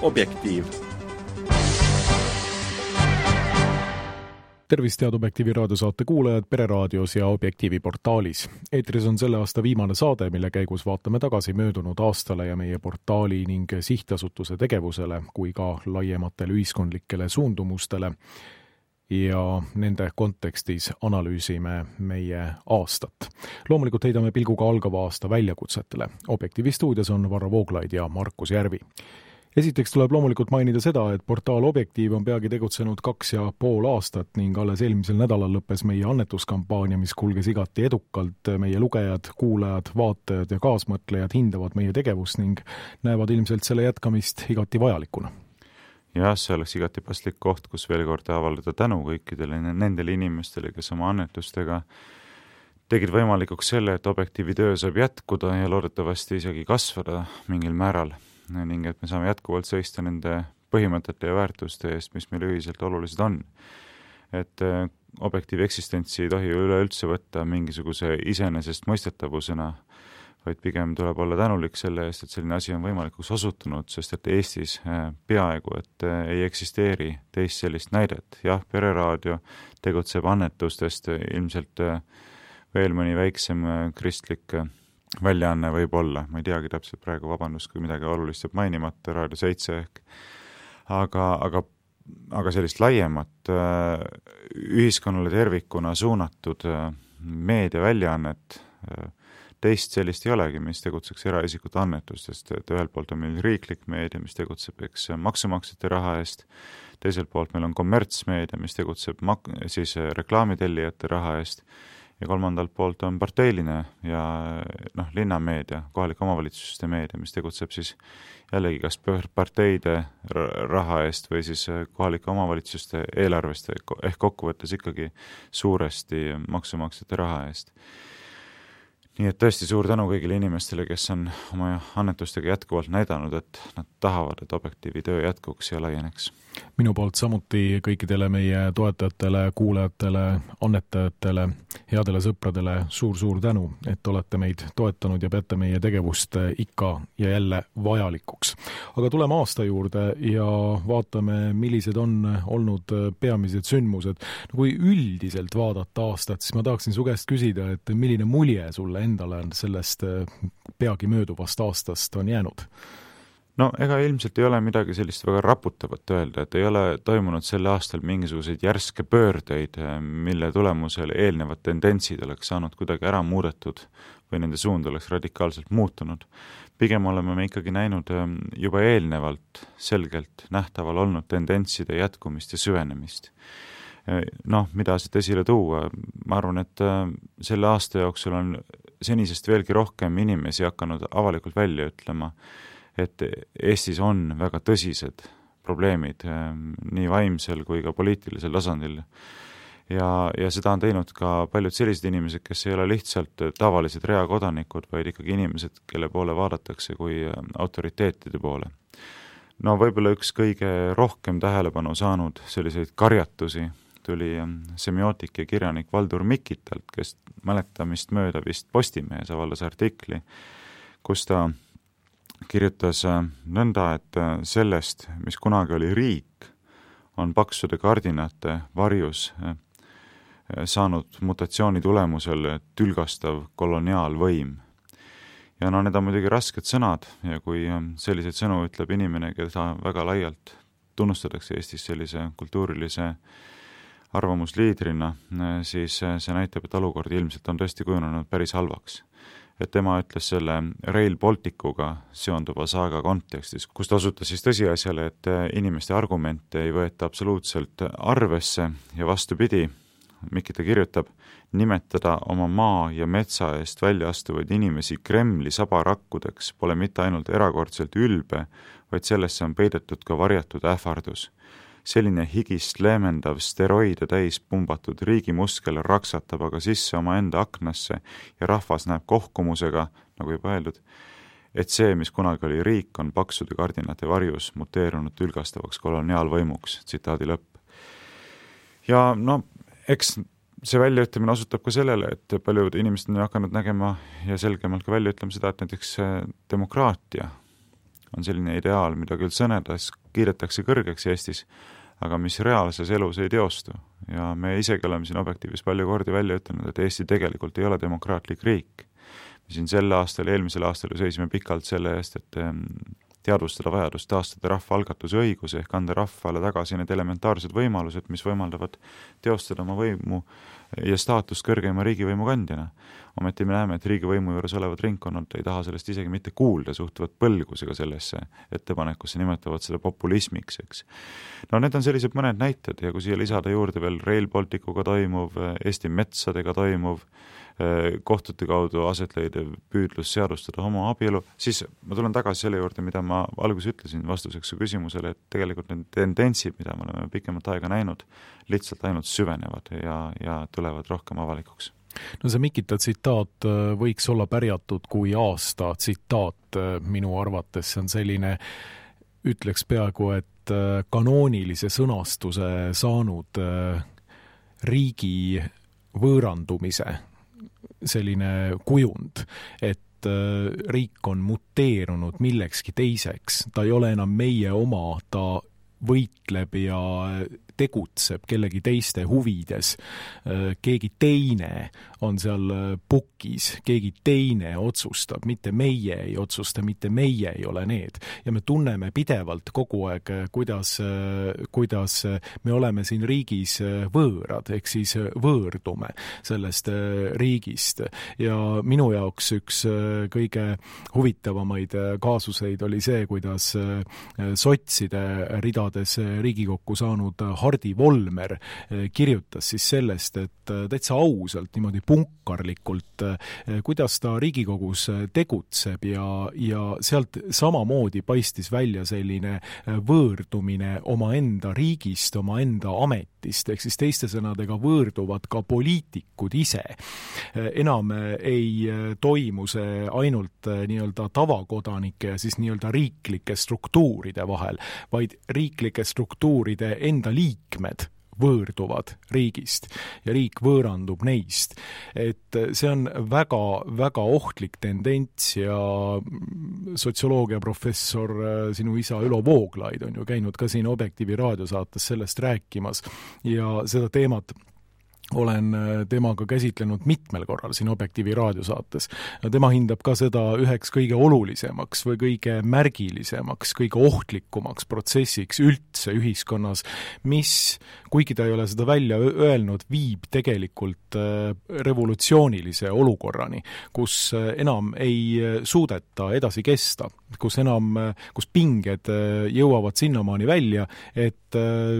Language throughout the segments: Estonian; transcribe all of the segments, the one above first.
Objektiiv. Tervist, head Objektiivi raadiosaate kuulajad Pereraadios ja Objektiivi portaalis. Eetris on selle aasta viimane saade, mille käigus vaatame tagasi möödunud aastale ja meie portaali ning sihtasutuse tegevusele, kui ka laiematele ühiskondlikele suundumustele. Ja nende kontekstis analüüsime meie aastat. Loomulikult heidame pilguga algava aasta väljakutsetele. Objektiivi stuudios on Varro Vooglaid ja Markus Järvi. Esiteks tuleb loomulikult mainida seda, et portaal Objektiiv on peagi tegutsenud 2,5 aastat ning alles eelmisel nädalal lõppes meie annetuskampaania, mis kulges igati edukalt. Meie lugejad, kuulajad, vaatajad ja kaasmõtlejad hindavad meie tegevust ning näevad ilmselt selle jätkamist igati vajalikuna. Jah, see oleks igati paslik koht, kus veel kord avaldada tänu kõikidele nendele inimestele, kes oma annetustega tegid võimalikuks selle, et Objektiivi töö saab jätkuda ja loodetavasti isegi kasvada mingil määral ning et me saame jätkuvalt seista nende põhimõtete ja väärtuste eest, mis meile ühiselt olulised on. Et Objektiivi eksistentsi ei tohi üleüldse võtta mingisuguse iseenesest mõistetavusena, vaid pigem tuleb olla tänulik selle eest, et selline asi on võimalikuks osutunud, sest et Eestis peaaegu, et ei eksisteeri teist sellist näidet. Jah, Pereraadio tegutseb annetustest, ilmselt veel mõni väiksem kristlik väljaanne võib olla. Ma ei teagi täpselt praegu, vabandust, kui midagi olulist jääb mainimata, Raadio 7 ehk. Aga sellist laiemat ühiskonnale tervikuna suunatud meediaväljaannet teist sellist ei olegi, mis tegutseks eraisikute annetustest, et ühelt poolt on meil riiklik meedia, mis tegutseb maksumaksjate raha eest, teiselt poolt meil on kommertsmeedia, mis tegutseb siis reklaamitellijate raha eest ja kolmandalt poolt on parteiline ja linnameedia, kohalike omavalitsuste meedia, mis tegutseb siis jällegi kas parteide raha eest või siis kohalike omavalitsuste eelarvest ehk kokkuvõttes ikkagi suuresti maksumaksjate raha eest. Nii et tõesti suur tänu kõigile inimestele, kes on oma annetustega jätkuvalt näidanud, et nad tahavad, et Objektiivi töö jätkuks ja laieneks. Minu poolt samuti kõikidele meie toetajatele, kuulajatele, annetajatele, headele sõpradele suur tänu, et olete meid toetanud ja peate meie tegevust ikka ja jälle vajalikuks. Aga tuleme aasta juurde ja vaatame, millised on olnud peamised sündmused. Kui üldiselt vaadata aastat, siis ma tahaksin su käest küsida, et milline mulje sulle endale sellest peagi mööduvast aastast on jäänud? No ega ilmselt ei ole midagi sellist väga raputavat öelda, et ei ole toimunud sel aastal mingisuguseid järske pöördeid, mille tulemusel eelnevad tendentsid oleks saanud kuidagi ära muudetud või nende suund oleks radikaalselt muutunud. Pigem oleme me ikkagi näinud juba eelnevalt selgelt nähtaval olnud tendentside jätkumist ja süvenemist. Mida siit esile tuua? Ma arvan, et selle aasta jooksul on senisest veelgi rohkem inimesi hakanud avalikult välja ütlema, et Eestis on väga tõsised probleemid nii vaimsel kui ka poliitilisel tasandil. Ja seda on teinud ka paljud sellised inimesed, kes ei ole lihtsalt tavalised reakodanikud, vaid ikkagi inimesed, kelle poole vaadatakse kui autoriteetide poole. Võib-olla üks kõige rohkem tähelepanu saanud selliseid karjatusi tuli semiootik ja kirjanik Valdur Mikitalt, kes mäletamist mööda vist Postimehes avaldas artikli, kus ta kirjutas nõnda, et sellest, mis kunagi oli riik, on paksude kardinate varjus saanud mutatsiooni tulemusel tülgastav koloniaalvõim. Ja need on muidugi rasked sõnad ja kui selliseid sõnu ütleb inimene, keda väga laialt tunnustatakse Eestis sellise kultuurilise arvamusliidrina, siis see näitab, et olukord ilmselt on tõesti kujunenud päris halvaks. Et tema ütles selle Rail Balticuga seonduva saaga kontekstis, kus ta osutas siis tõsiasjale, et inimeste argumente ei võeta absoluutselt arvesse ja vastupidi, Mikita kirjutab, nimetada oma maa ja metsa eest välja astuvaid inimesi Kremli sabarakkudeks pole mitte ainult erakordselt ülbe, vaid sellesse on peidetud ka varjatud ähvardus. Selline higist leemendav steroide täis pumbatud riigimuskel raksatab aga sisse oma enda aknasse ja rahvas näeb kohkumusega, nagu juba öeldud, et see, mis kunagi oli riik, on paksude kardinate varjus muteerunud tülgastavaks koloniaalvõimuks, tsitaadi lõpp. Ja eks see väljaütlemine osutab ka sellele, et paljud inimesed on hakanud nägema ja selgemalt ka välja ütlema seda, et näiteks demokraatia on selline ideaal, mida küll sõnedes kiidetakse kõrgeks Eestis, aga mis reaalses elus ei teostu. Ja me isegi oleme siin Objektiivis palju kordi välja ütelnud, et Eesti tegelikult ei ole demokraatlik riik. Me siin sel aastal, eelmisel aastal seisime pikalt selle eest, et teadvustada vajadust taastada rahvaalgatuse õigus ehk anda rahvale tagasi need elementaarsed võimalused, mis võimaldavad teostada oma võimu ja staatust kõrgeima riigivõimu kandjana. Ometi me näeme, et riigivõimu juures olevad ringkonnad ei taha sellest isegi mitte kuulda, suhtuvad põlgusega sellesse ettepanekusse, nimetavad seda populismiks, eks. No need on sellised mõned näited ja kui siia lisada juurde veel Rail Balticuga toimuv, Eesti metsadega toimuv, kohtute kaudu aset leidev püüdlus seadustada homoabielu, siis ma tulen tagasi selle juurde, mida ma alguses ütlesin vastuseks su küsimusele, et tegelikult need tendentsid, mida me oleme pikemat aega näinud, lihtsalt ainult süvenevad ja tulevad rohkem avalikuks. No see Mikita tsitaat võiks olla pärjatud kui aasta tsitaat minu arvates, see on selline, ütleks peaaegu, et kanoonilise sõnastuse saanud riigi võõrandumise selline kujund, et riik on muteerunud millekski teiseks, ta ei ole enam meie oma, ta võitleb ja tegutseb kellegi teiste huvides, keegi teine on seal pukis, keegi teine otsustab, mitte meie ei otsusta, mitte meie ei ole need. Ja me tunneme pidevalt kogu aeg, kuidas me oleme siin riigis võõrad, ehk siis võõrdume sellest riigist. Ja minu jaoks üks kõige huvitavamaid kaasuseid oli see, kuidas sotside ridades Riigikokku saanud Hardi Volmer kirjutas siis sellest, et täitsa ausalt, niimoodi punkarlikult, kuidas ta Riigikogus tegutseb ja sealt samamoodi paistis välja selline võõrdumine omaenda riigist, omaenda ametist, ehk siis teiste sõnadega võõrduvad ka poliitikud ise. Enam ei toimu see ainult nii-öelda tavakodanike ja siis nii-öelda riiklike struktuuride vahel, vaid riiklike struktuuride enda liikmed võõrduvad riigist ja riik võõrandub neist. Et see on väga, väga ohtlik tendents ja sotsioloogiaprofessor, sinu isa Ülo Vooglaid on ju käinud ka siin Objektiivi raadiosaates sellest rääkimas ja seda teemat olen temaga käsitlenud mitmel korral siin Objektiivi raadiosaates. Tema hindab ka seda üheks kõige olulisemaks või kõige märgilisemaks, kõige ohtlikumaks protsessiks üldse ühiskonnas, mis, kuigi ta ei ole seda välja öelnud, viib tegelikult revolutsioonilise olukorrani, kus enam ei suudeta edasi kesta, kus pinged jõuavad sinnamaani välja, et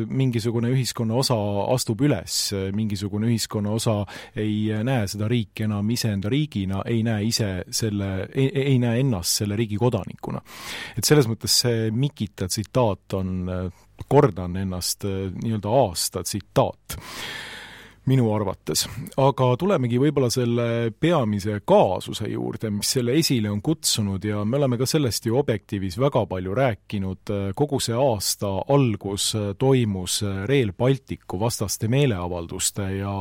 mingisugune ühiskonna osa astub üles, mingisugune ühiskonna osa ei näe seda riiki enam iseenda riigina, ei näe ennast selle riigi kodanikuna. Et selles mõttes see Mikita tsitaat on, kordan ennast, nii-öelda aasta tsitaat minu arvates. Aga tulemegi võib-olla selle peamise kaasuse juurde, mis selle esile on kutsunud ja me oleme ka sellest ju Objektiivis väga palju rääkinud. Kogu see aasta algus toimus Rail Balticu vastaste meeleavalduste ja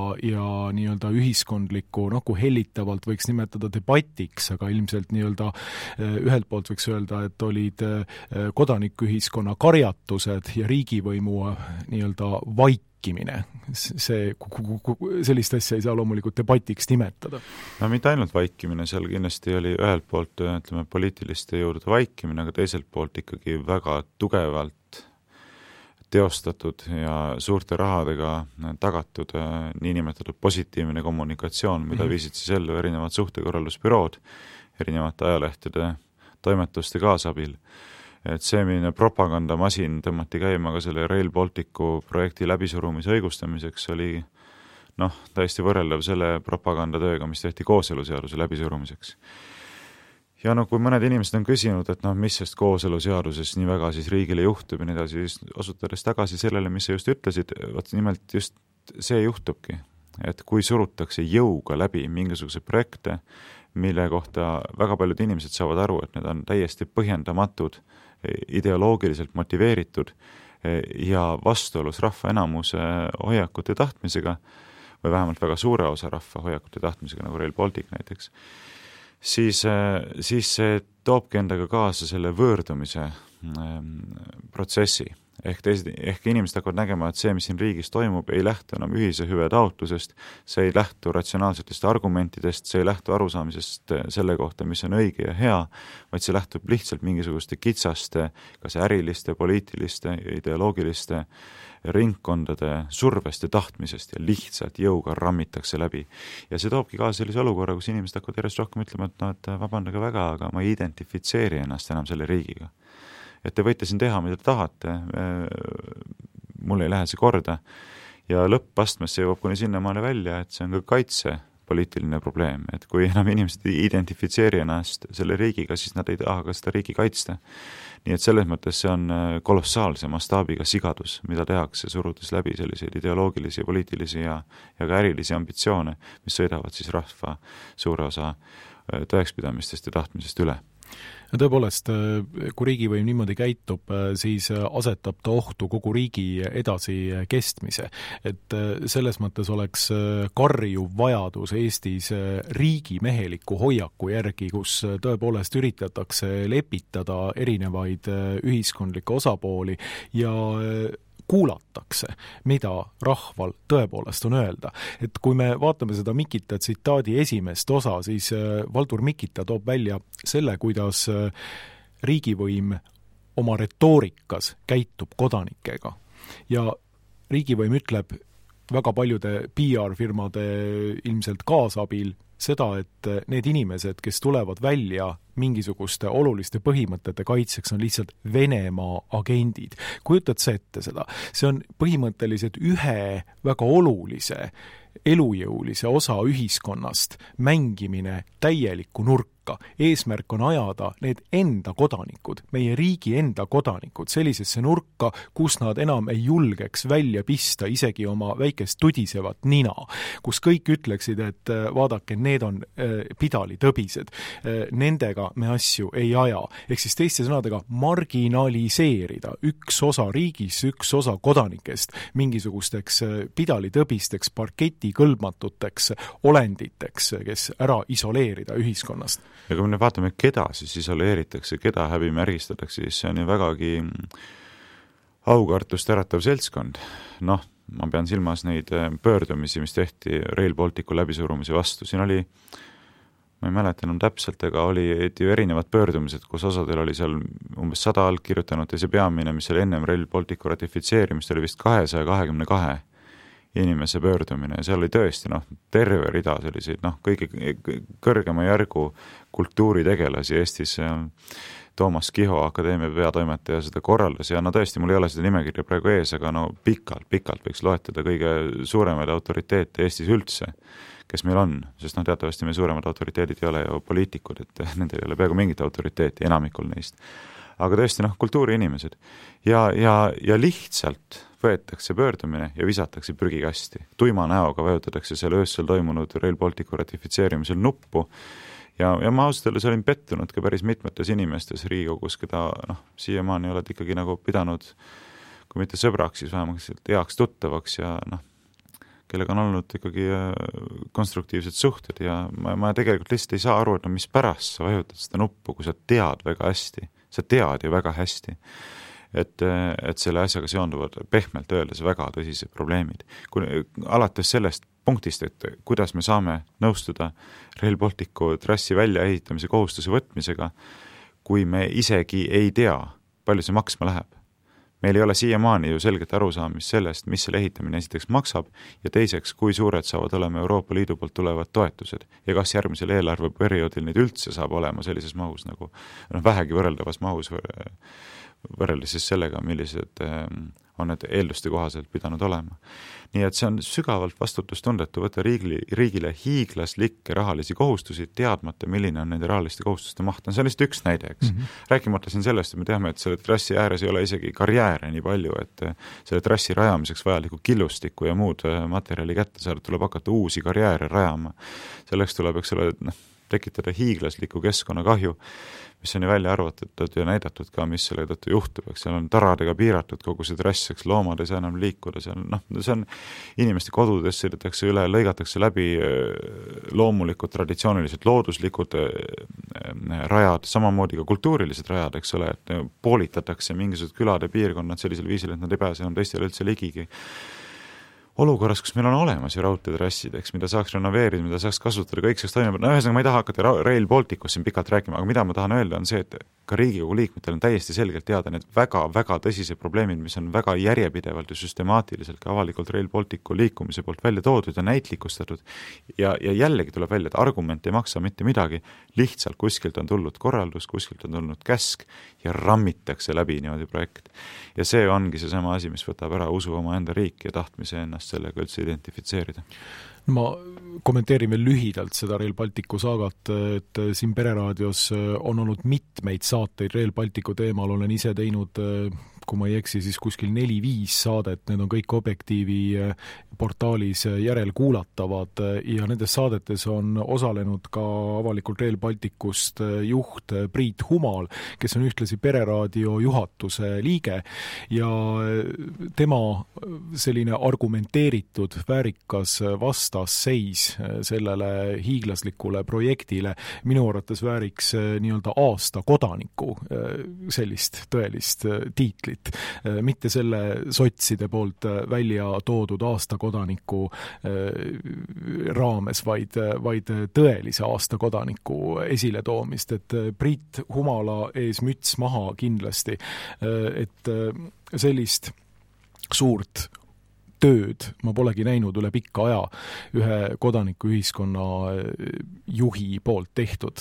nii-öelda ühiskondliku, kui hellitavalt võiks nimetada debatiks, aga ilmselt nii-öelda ühelt poolt võiks öelda, et olid kodanikuühiskonna karjatused ja riigivõimu nii-öelda sellist asja ei saa loomulikult debatiks nimetada. No mitte ainult vaikimine, seal kindlasti oli ühelt poolt, ütleme, poliitiliste juurde vaikimine, aga teiselt poolt ikkagi väga tugevalt teostatud ja suurte rahadega tagatud niinimetatud positiivne kommunikatsioon, mida viisid siis ellu erinevad suhtekorraldusbürood, erinevate ajalehtede toimetuste kaasabil. Et see milline propagandamasin tõmmati käima ka selle Rail Balticu projekti läbisurumise õigustamiseks oli täiesti võrreldav selle propagandatööga, mis tehti kooseluseaduse läbisurumiseks. Ja kui mõned inimesed on küsinud, et mis sest kooseluseaduses nii väga siis riigile juhtub ja nii edasi, osutades tagasi sellele, mis sa just ütlesid, nimelt just see juhtubki, et kui surutakse jõuga läbi mingisuguse projekte, mille kohta väga paljud inimesed saavad aru, et need on täiesti põhjendamatud, ideoloogiliselt motiveeritud ja vastuolus rahva enamuse hoiakute tahtmisega või vähemalt väga suure osa rahva hoiakute tahtmisega, nagu Rail Baltic näiteks, siis see toobki endaga kaasa selle võõrdumise protsessi. Ehk inimesed hakkavad nägema, et see, mis siin riigis toimub, ei lähtu enam ühise hüve taotlusest, see ei lähtu ratsionaalsetest argumentidest, see ei lähtu arusaamisest selle kohta, mis on õige ja hea, vaid see lähtub lihtsalt mingisuguste kitsaste, kas äriliste, poliitiliste, ideoloogiliste ringkondade survest ja tahtmisest ja lihtsalt jõuga rammitakse läbi. Ja see toobki kaasa sellise olukorra, kus inimesed hakkavad järjest rohkem ütlema, et vabandage väga, aga ma ei identifitseeri ennast enam selle riigiga. Et te võite siin teha, mida te tahate, mul ei lähe see korda ja lõppastmes see jõuab kuni sinnamaale välja, et see on ka kaitsepoliitiline probleem, et kui enam inimesed ei identifitseeri ennast selle riigiga, siis nad ei taha ka seda riigi kaitsta. Nii et selles mõttes see on kolossaalse mastaabiga sigadus, mida tehakse, surudes läbi selliseid ideoloogilisi, poliitilisi ja ka ärilisi ambitsioone, mis sõidavad siis rahva suure osa tõekspidamistest ja tahtmisest üle. Tõepoolest, kui riigivõim niimoodi käitub, siis asetab ta ohtu kogu riigi edasi kestmise. Et selles mõttes oleks karjuv vajadus Eestis riigimeheliku hoiaku järgi, kus tõepoolest üritatakse lepitada erinevaid ühiskondlikke osapooli ja kuulatakse, mida rahval tõepoolest on öelda. Et kui me vaatame seda Mikita tsitaadi esimest osa, siis Valdur Mikita toob välja selle, kuidas riigivõim oma retoorikas käitub kodanikega. Ja riigivõim ütleb väga paljude PR-firmade ilmselt kaasabil seda, et need inimesed, kes tulevad välja mingisuguste oluliste põhimõtete kaitseks, on lihtsalt Venemaa agendid. Kujutad sa ette seda? See on põhimõtteliselt ühe väga olulise, elujõulise osa ühiskonnast mängimine täielikku nurka. Eesmärk on ajada need enda kodanikud, meie riigi enda kodanikud, sellisesse nurka, kus nad enam ei julgeks välja pista isegi oma väikest tudisevat nina, kus kõik ütleksid, et vaadake, need on pidalitõbised, nendega me asju ei aja. Ehk siis teiste sõnadega marginaliseerida üks osa riigis, üks osa kodanikest mingisugusteks pidalitõbisteks, parketikõlbmatuteks olenditeks, kes ära isoleerida ühiskonnast. Ja kui me vaatame, keda siis isoleeritakse, keda häbimärgistatakse, siis see on ju vägagi aukartust äratav seltskond. Noh, ma pean silmas neid pöördumisi, mis tehti Rail Balticu läbisurumise vastu. Siin oli, ma ei mäleta enam täpselt, aga oli erinevad pöördumised, kus osadel oli seal umbes 100 allkirjutanud ja see peamine, mis oli ennem Rail Balticu ratifitseerimist, oli vist 222 inimese pöördumine ja seal oli tõesti terve rida selliseid kõige kõrgema järgu kultuuritegelasi Eestis. Toomas Kiho, akadeemia peatoimetaja, seda korraldas ja tõesti, mul ei ole seda nimekirja praegu ees, aga pikalt võiks loetada kõige suuremaid autoriteete Eestis üldse, kes meil on, sest teatavasti meie suuremad autoriteedid ei ole ju poliitikud, et nendel ei ole peaaegu mingit autoriteeti, enamikul neist. Aga tõesti, kultuuriinimesed ja lihtsalt võetakse pöördumine ja visatakse prügikasti. Tuima näoga vajutatakse seal öössel toimunud Rail Balticu ratifitseerimisel nuppu ja ma ausalt öeldes olin pettunud ka päris mitmetes inimestes Riigikogus, keda siiamaani oled ikkagi pidanud, kui mitte sõbraks, siis vähemalt heaks tuttavaks ja kellega on olnud ikkagi konstruktiivsed suhted ja ma tegelikult lihtsalt ei saa aru, et mis pärast sa vajutad seda nuppu, kui sa tead väga hästi, sa tead ju väga hästi, et selle asjaga seonduvad pehmelt öeldes väga tõsised probleemid. Alates sellest punktist, et kuidas me saame nõustuda Rail Balticu trassi väljaehitamise kohustuse võtmisega, kui me isegi ei tea, palju see maksma läheb. Meil ei ole siiamaani ju selget arusaamist sellest, mis selle ehitamine esiteks maksab ja teiseks, kui suured saavad olema Euroopa Liidu poolt tulevad toetused ja kas järgmisel eelarveperioodil neid üldse saab olema sellises mahus vähegi võrreldavas mahus võrreldes siis sellega, millised on need eelduste kohaselt pidanud olema. Nii et see on sügavalt vastutustundetu võtta riigile hiiglaslikke rahalisi kohustusi, teadmata, milline on nende rahaliste kohustuste maht. See on lihtsalt üks näide, eks. Rääkimata siin sellest, et me teame, et selle trassi ääres ei ole isegi karjääre nii palju, et selle trassi rajamiseks vajaliku killustikku ja muud materjali kätte saada, tuleb hakata uusi karjääre rajama. Selleks tuleb, eks ole, tekitada hiiglaslikku keskkonnakahju, mis on ju välja arvatud ja näidatud ka, mis selle tõttu juhtub, eks seal on taradega piiratud kogu see trass, eks loomad ei saa enam liikuda, see on inimeste kodudes sõidetakse üle, lõigatakse läbi loomulikud, traditsioonilised, looduslikud rajad, samamoodi ka kultuurilised rajad, eks ole, et poolitatakse mingisugused külade piirkonnad sellisel viisil, et nad ei pääse enam teistele üldse ligigi. Olukorras, kus meil on olemas ju raudteetrassid, eks, mida saaks renoveerida, mida saaks kasutada, kõik saaks toimima. Ühesõnaga, ma ei taha hakata Rail Balticust siin pikalt rääkima, aga mida ma tahan öelda on see, et ka Riigikogu liikmetel on täiesti selgelt teada need väga-väga tõsised probleemid, mis on väga järjepidevalt ja süstemaatiliselt ka avalikult Rail Balticu liikumise poolt välja toodud ja näitlikustatud. Ja jällegi tuleb välja, et argument ei maksa mitte midagi, lihtsalt kuskilt on tulnud korraldus, kuskilt on tulnud käsk ja rammitakse läbi niimoodi projekt. Ja see ongi see sama asi, mis võtab ära usu oma enda riiki ja tahtmise ennast sellega üldse identifitseerida. Ma kommenteerin veel lühidalt seda Rail Balticu saagat, et siin Pereraadios on olnud mitmeid saateid Rail Balticu teemal, olen ise teinud, kui ma ei eksi, siis kuskil 4-5 saadet, need on kõik Objektiivi portaalis järelkuulatavad ja nendes saadetes on osalenud ka avalikult Rail Balticust juht Priit Humal, kes on ühtlasi Pereraadio juhatuse liige ja tema selline argumenteeritud, väärikas vastasseis sellele hiiglaslikule projektile minu arvates vääriks nii-öelda aasta kodaniku sellist tõelist tiitlit. Mitte selle sotside poolt välja toodud aasta kodaniku raames, vaid tõelise aasta kodaniku esiletoomist, et Priit Humala ees müts maha kindlasti, et sellist suurt tööd ma polegi näinud üle pikka aja ühe kodanikuühiskonna juhi poolt tehtud.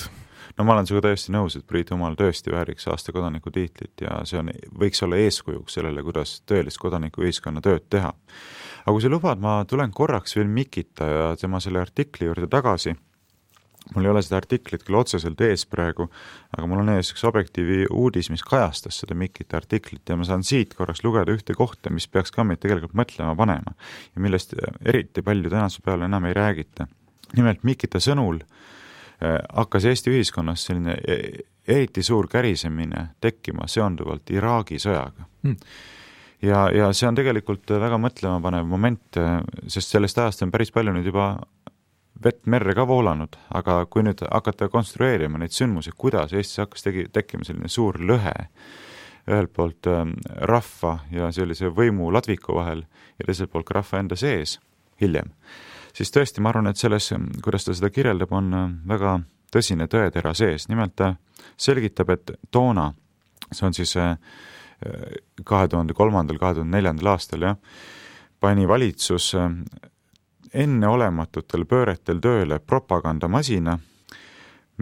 No ma olen sinuga täiesti nõus, et Priit Humal tõesti vääriks aasta kodaniku tiitlit ja see võiks olla eeskujuks sellele, kuidas tõelist kodanikuühiskonna tööd teha. Aga kui sa lubad, ma tulen korraks veel Mikita ja tema selle artikli juurde tagasi. Mul ei ole seda artiklit küll otseselt ees praegu, aga mul on ees üks Objektiivi uudis, mis kajastas seda Mikita artiklit ja ma saan siit korraks lugeda ühte kohta, mis peaks ka meid tegelikult mõtlema panema ja millest eriti palju tänase peale enam ei räägita. Nimelt Mikita sõnul hakkas Eesti ühiskonnas selline eriti suur kärisemine tekkima seonduvalt Iraagi sõjaga. Ja see on tegelikult väga mõtlema panev moment, sest sellest ajast on päris palju nüüd juba vett merre ka voolanud, aga kui nüüd hakata konstrueerima neid sündmusi, kuidas Eestis hakkas tekkima selline suur lõhe ühelt poolt rahva ja sellise võimu ladviku vahel ja teiselt poolt ka rahva enda sees hiljem, siis tõesti ma arvan, et selles, kuidas ta seda kirjeldab, on väga tõsine tõetera sees. Nimelt ta selgitab, et toona, see on siis 2003-2004 aastal, pani valitsus enneolematutel pööretel tööle propagandamasina,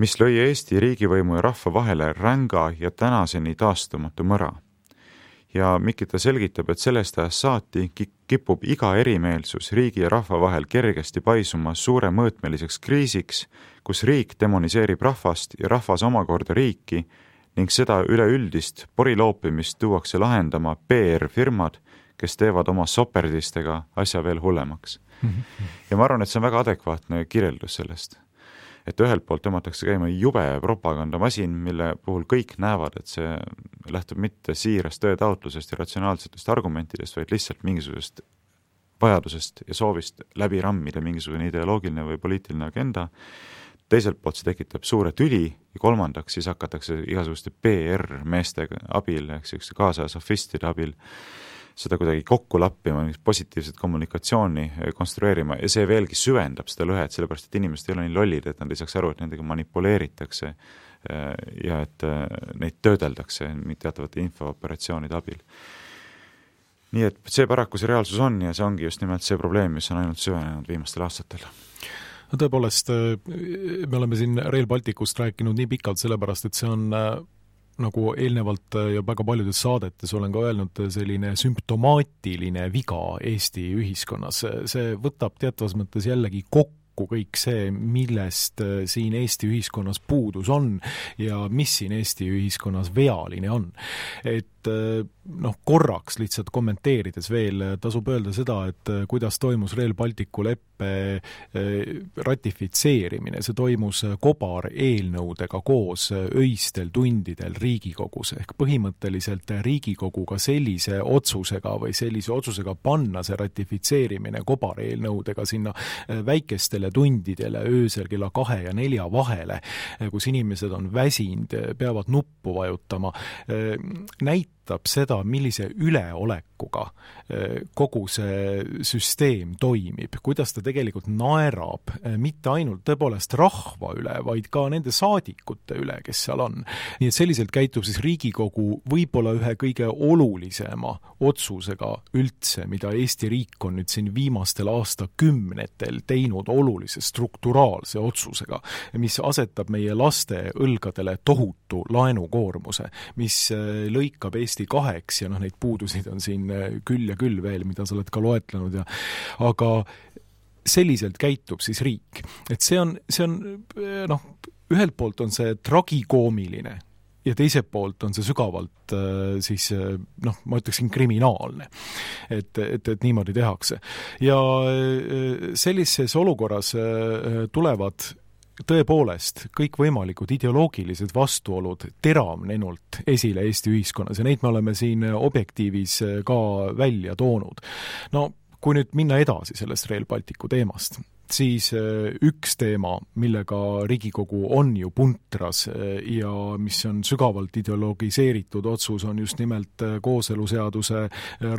mis lõi Eesti riigivõimu ja rahva vahele ränga ja tänaseni taastumatu mõra. Ja Mikita selgitab, et sellest ajast saati kipub iga erimeelsus riigi ja rahva vahel kergesti paisuma suure mõõtmeliseks kriisiks, kus riik demoniseerib rahvast ja rahvas omakorda riiki ning seda üleüldist poriloopimist tuuakse lahendama PR-firmad, kes teevad oma soperdistega asja veel hullemaks. Ja ma arvan, et see on väga adekvaatne kirjeldus sellest. Et ühelt poolt tõmmatakse käima jube propagandamasin, mille puhul kõik näevad, et see lähtub mitte siirast tõetaotlusest ja ratsionaalsetest argumentidest, vaid lihtsalt mingisugusest vajadusest ja soovist läbi rammida mingisugune ideoloogiline või poliitiline agenda. Teiselt poolt see tekitab suure tüli ja kolmandaks siis hakatakse igasuguste PR-meeste abil, ehk kaasaja sofistide abil seda kuidagi kokku lappima, positiivset kommunikatsiooni konstrueerima ja see veelgi süvendab seda lõhet, sellepärast et inimesed ei ole nii lollid, et nad ei saaks aru, et nendega manipuleeritakse ja et neid töödeldakse teatavate infooperatsioonide abil. Nii et see paraku see reaalsus on ja see ongi just nimelt see probleem, mis on ainult süvenenud viimastel aastatel. No tõepoolest, me oleme siin Rail Balticust rääkinud nii pikalt sellepärast, et see on nagu eelnevalt ja väga paljudes saadetes olen ka öelnud, selline sümptomaatiline viga Eesti ühiskonnas. See võtab teatavas mõttes jällegi kokku kõik see, millest siin Eesti ühiskonnas puudus on ja mis siin Eesti ühiskonnas vealine on. Et korraks lihtsalt kommenteerides veel tasub öelda seda, et kuidas toimus Rail Balticu leppe ratifitseerimine. See toimus kobareelnõudega koos öistel tundidel Riigikogus. Ehk põhimõtteliselt Riigikoguga sellise otsusega panna see ratifitseerimine kobareelnõudega sinna väikestele tundidele öösel kella 2 ja 4 vahele, kus inimesed on väsinud, peavad nuppu vajutama, näitab seda, millise üleolekuga kogu see süsteem toimib, kuidas ta tegelikult naerab mitte ainult tõepoolest rahva üle, vaid ka nende saadikute üle, kes seal on. Nii et selliselt käitub siis Riigikogu võib-olla ühe kõige olulisema otsusega üldse, mida Eesti riik on nüüd siin viimastel aastakümnetel teinud olulise strukturaalse otsusega, mis asetab meie laste õlgadele tohutu laenukoormuse, mis lõikab Eesti 2 ja neid puudusid on siin küll ja küll veel, mida sa oled ka loetlenud aga selliselt käitub siis riik. Et see on ühelt poolt on see tragikoomiline ja teiselt poolt on see sügavalt ma ütleksin kriminaalne, et niimoodi tehakse. Ja sellises olukorras tulevad tõepoolest kõikvõimalikud ideoloogilised vastuolud teravnenult esile Eesti ühiskonnas ja neid me oleme siin Objektiivis ka välja toonud. Kui nüüd minna edasi sellest Rail Balticu teemast, siis üks teema, millega Riigikogu on ju puntras ja mis on sügavalt ideologiseeritud otsus, on just nimelt kooseluseaduse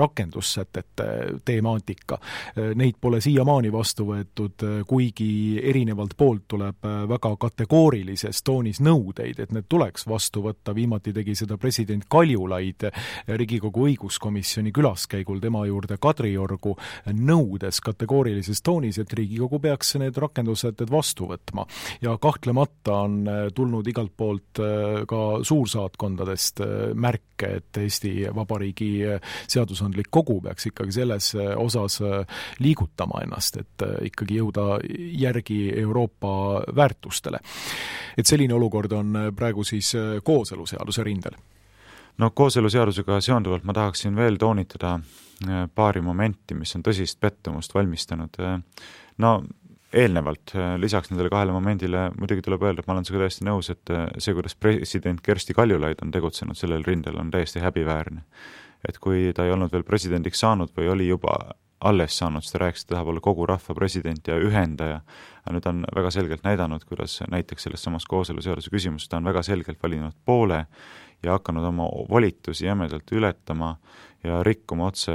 rakendussätete temaatika. Neid pole siiamaani vastu võetud, kuigi erinevalt poolt tuleb väga kategoorilises toonis nõudeid, et need tuleks vastu võtta. Viimati tegi seda president Kaljulaid Riigikogu õiguskomisjoni külaskäigul tema juurde Kadriorgu, nõudes kategoorilises toonis, et Riigikogu peaks need rakendussätted vastu võtma. Ja kahtlemata on tulnud igalt poolt ka suursaatkondadest märke, et Eesti Vabariigi seadusandlik kogu peaks ikkagi selles osas liigutama ennast, et ikkagi jõuda järgi Euroopa väärtustele. Et selline olukord on praegu siis kooseluseaduse rindel. Kooseluseadusega seonduvalt ma tahaksin veel toonitada paari momenti, mis on tõsist pettumust valmistanud. Eelnevalt, lisaks nendele 2 momendile muidugi tuleb öelda, et ma olen sinuga täiesti nõus, et see, kuidas president Kersti Kaljulaid on tegutsenud sellel rindel, on täiesti häbiväärne. Et kui ta ei olnud veel presidendiks saanud või oli juba alles saanud, siis ta rääkis, et tahab olla kogu rahva president ja ühendaja. Nüüd on väga selgelt näidanud, kuidas näiteks selles samas kooseluseaduse küsimus, ta on väga selgelt valinud poole ja hakanud oma volitusi jämedalt ületama ja rikkuma otse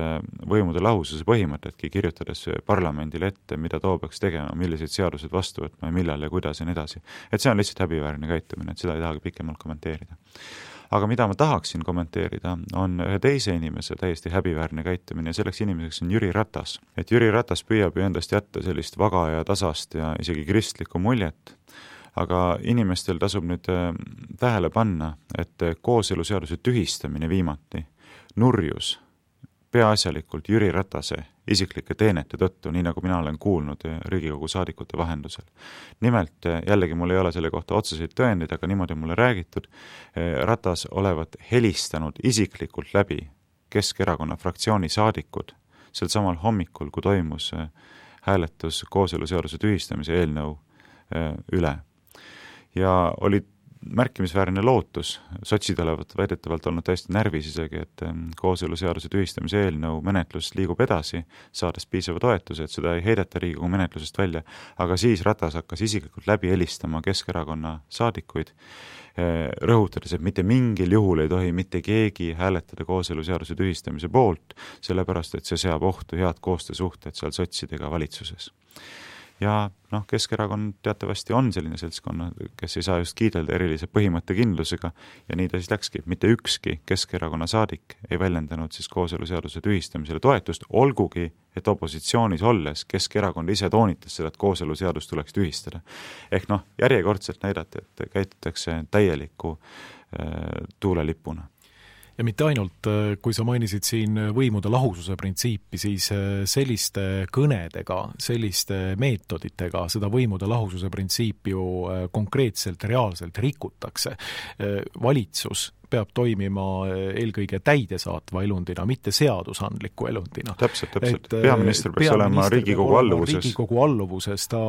võimude lahususe põhimõtetki, kirjutades parlamendile ette, mida too peaks tegema, milliseid seadused vastu võtma ja millal ja kuidas ja nii edasi. Et see on lihtsalt häbiväärne käitumine, et seda ei tahagi pikemalt kommenteerida. Aga mida ma tahaksin kommenteerida, on ühe teise inimese täiesti häbiväärne käitumine ja selleks inimeseks on Jüri Ratas. Et Jüri Ratas püüab ju endast jätta sellist vaga ja tasast ja isegi kristlikku muljet, aga inimestel tasub nüüd tähele panna, et kooseluseaduse tühistamine viimati nurjus peaasjalikult Jüri Ratase isiklike teenete tõttu, nii nagu mina olen kuulnud Riigikogu saadikute vahendusel. Nimelt, jällegi mul ei ole selle kohta otseseid tõendeid, aga niimoodi mulle räägitud, Ratas olevat helistanud isiklikult läbi Keskerakonna fraktsiooni saadikud sel samal hommikul, kui toimus hääletus kooseluseaduse tühistamise eelnõu üle. Ja oli märkimisväärne lootus, sotsid olevat väidetavalt olnud täiesti närvis isegi, et kooseluseaduse tühistamise eelnõu menetlus liigub edasi, saades piisava toetuse, et seda ei heideta Riigikogu menetlusest välja, aga siis Ratas hakkas isiklikult läbi helistama Keskerakonna saadikuid, rõhutades, et mitte mingil juhul ei tohi mitte keegi hääletada kooseluseaduse tühistamise poolt, sellepärast, et see seab ohtu head koostöösuhted seal sotsidega valitsuses. Ja Keskerakond teatavasti on selline seltskonna, kes ei saa just kiidelda erilise põhimõttekindlusega ja nii ta siis läkski. Mitte ükski Keskerakonna saadik ei väljendanud siis kooseluseaduse tühistamisele toetust, olgugi, et opositsioonis olles Keskerakond ise toonitas seda, et kooseluseadus tuleks tühistada. Ehk järjekordselt näidati, et käitutakse täieliku tuulelipuna. Ja mitte ainult, kui sa mainisid siin võimude lahususe printsiipi, siis selliste kõnedega, selliste meetoditega seda võimude lahususe printsiipi ju konkreetselt, reaalselt rikutakse. Valitsus peab toimima eelkõige täidesaatva elundina, mitte seadusandliku elundina. Täpselt. Peaminister peaks olema Riigikogu alluvuses. Riigikogu alluvuses, ta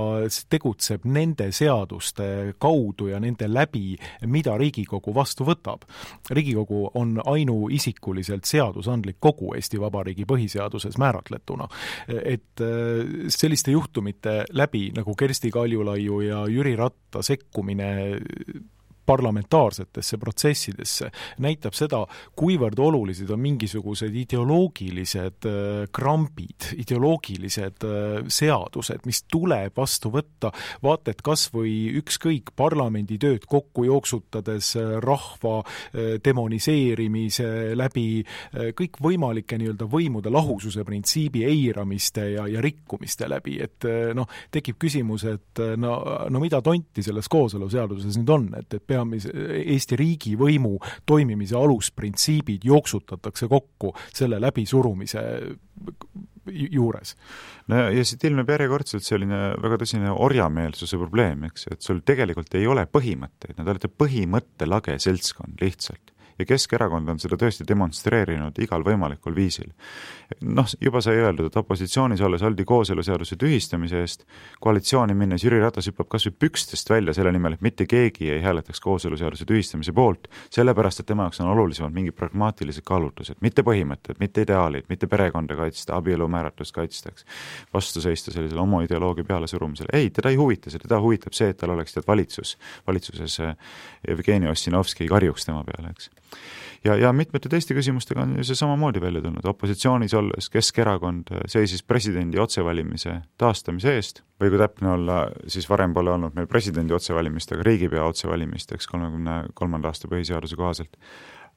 tegutseb nende seaduste kaudu ja nende läbi, mida Riigikogu vastu võtab. Riigikogu on ainuisikuliselt seadusandlik kogu Eesti Vabariigi põhiseaduses määratletuna. Et selliste juhtumite läbi, nagu Kersti Kaljulaiu ja Jüri Ratta sekkumine parlamentaarsetesse protsessidesse, näitab seda, kuivõrd olulised on mingisugused ideoloogilised krambid, ideoloogilised seadused, mis tuleb vastu võtta, vaated kas või ükskõik parlamendi tööd kokku jooksutades rahva demoniseerimise läbi, kõik võimalike nii-öelda võimude lahususe printsiibi eiramiste ja rikkumiste läbi, et tekib küsimus, et no mida tonti selles kooseluseaduses nüüd on, et Eesti riigi võimu toimimise alusprintsiibid jooksutatakse kokku selle läbisurumise juures. No ja siit ilmeb järjekordselt selline väga tõsine orjameelsuse probleem, eks, et sul tegelikult ei ole põhimõtteid, nad olete põhimõttelage seltskond lihtsalt. Ja Keskerakond on seda tõesti demonstreerinud igal võimalikul viisil. Juba sai öeldud, et opositsioonis olles oldi kooseluseaduse tühistamise eest, koalitsiooni minnes Jüri Ratas hüppab kas või pükstest välja selle nimel, et mitte keegi ei hääletaks kooseluseaduse tühistamise poolt, sellepärast, et tema jaoks on olulisemad mingi pragmaatilised kaalutlused, mitte põhimõtted, mitte ideaalid, mitte perekonda kaitsta, abielu määratlust kaitstaks, vastu seista sellisele homoideoloogia peale surumisele. Ei, teda ei huvita see, teda huvitab see, et tal oleks valitsuses Jevgeni Ossinovski karjuks tema peale, eks. Ja mitmete teiste küsimustega on see samamoodi välja tulnud. Opositsioonis olles Keskerakond seisis presidendi otsevalimise taastamise eest, või kui täpne olla, siis varem pole olnud meil presidendi otsevalimist, aga riigipea otsevalimist, eks 33. aasta põhiseaduse kohaselt.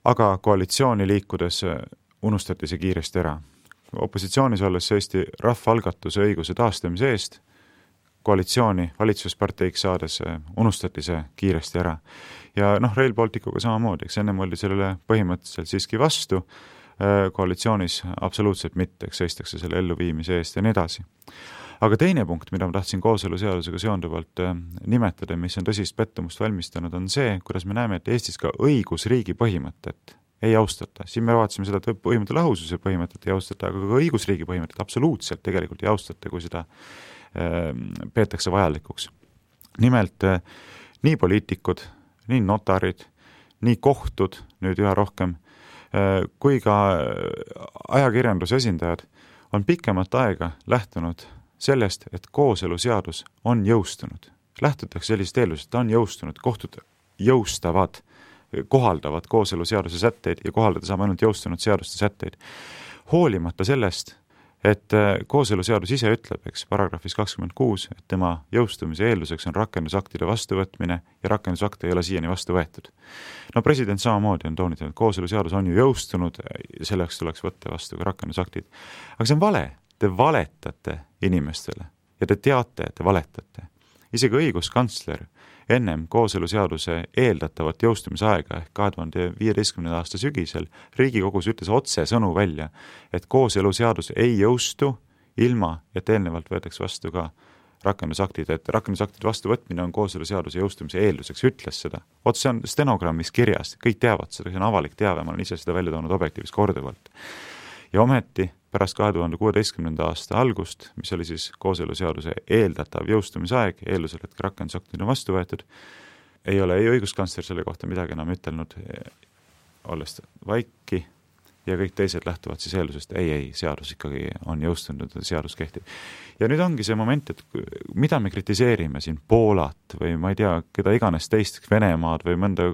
Aga koalitsiooni liikudes unustati see kiiresti ära. Opositsioonis olles seisti rahvaalgatuse õiguse taastamise eest, koalitsiooni valitsusparteiks saades unustati see kiiresti ära. Ja Rail Balticuga samamoodi, eks ennem oldi sellele põhimõtteliselt siiski vastu, koalitsioonis absoluutselt mitte, eks seistakse selle elluviimise eest ja nii edasi. Aga teine punkt, mida ma tahtsin kooseluseadusega seonduvalt nimetada, mis on tõsist pettumust valmistanud, on see, kuidas me näeme, et Eestis ka õigusriigi põhimõtet ei austata. Siin me vaatasime seda, et põhimõtte lahususe põhimõtet ei austata, aga ka õigusriigi põhimõtet absoluutselt tegelikult ei austata, kui seda peetakse vajalikuks. Nimelt nii poliitikud, nii notarid, nii kohtud, nüüd üha rohkem, kui ka ajakirjanduse esindajad on pikemat aega lähtunud sellest, et kooseluseadus on jõustunud. Lähtutakse sellisest eeldusest, et on jõustunud, kohtud jõustavad, kohaldavad kooseluseaduse sätteid ja kohaldada saab ainult jõustunud seaduste sätteid. Hoolimata sellest, et kooseluseadus ise ütleb, eks, paragrahvis 26, et tema jõustumise eelduseks on rakendusaktide vastuvõtmine ja rakendusakte ei ole siiani vastu võetud. President samamoodi on toonitanud, et kooseluseadus on ju jõustunud, selleks tuleks võtta vastu ka rakendusaktid. Aga see on vale. Te valetate inimestele ja te teate, et te valetate. Isegi õiguskantsler ennem kooseluseaduse eeldatavat jõustumisaega ehk 2015. aasta sügisel Riigikogus ütles otsesõnu välja, et kooseluseadus ei jõustu ilma, et eelnevalt võetakse vastu ka rakendusaktid, et rakendusaktide vastuvõtmine on kooseluseaduse jõustumise eelduseks, ütles seda. Otse on stenogrammis kirjas, kõik teavad seda, see on avalik teave, ma olen ise seda välja toonud objektiivis korduvalt. Ja ometi pärast 2016. aasta algust, mis oli siis kooseluseaduse eeldatav jõustumisaeg, eeldusel, et rakendusaktid on vastu võetud, ei ole ei õiguskantsler selle kohta midagi enam ütelnud, olles vaiki, ja kõik teised lähtuvad siis eeldusest, ei, seadus ikkagi on jõustunud, seadus kehtib. Ja nüüd ongi see moment, et mida me kritiseerime siin Poolat või ma ei tea, keda iganes teist Venemaad või mõnda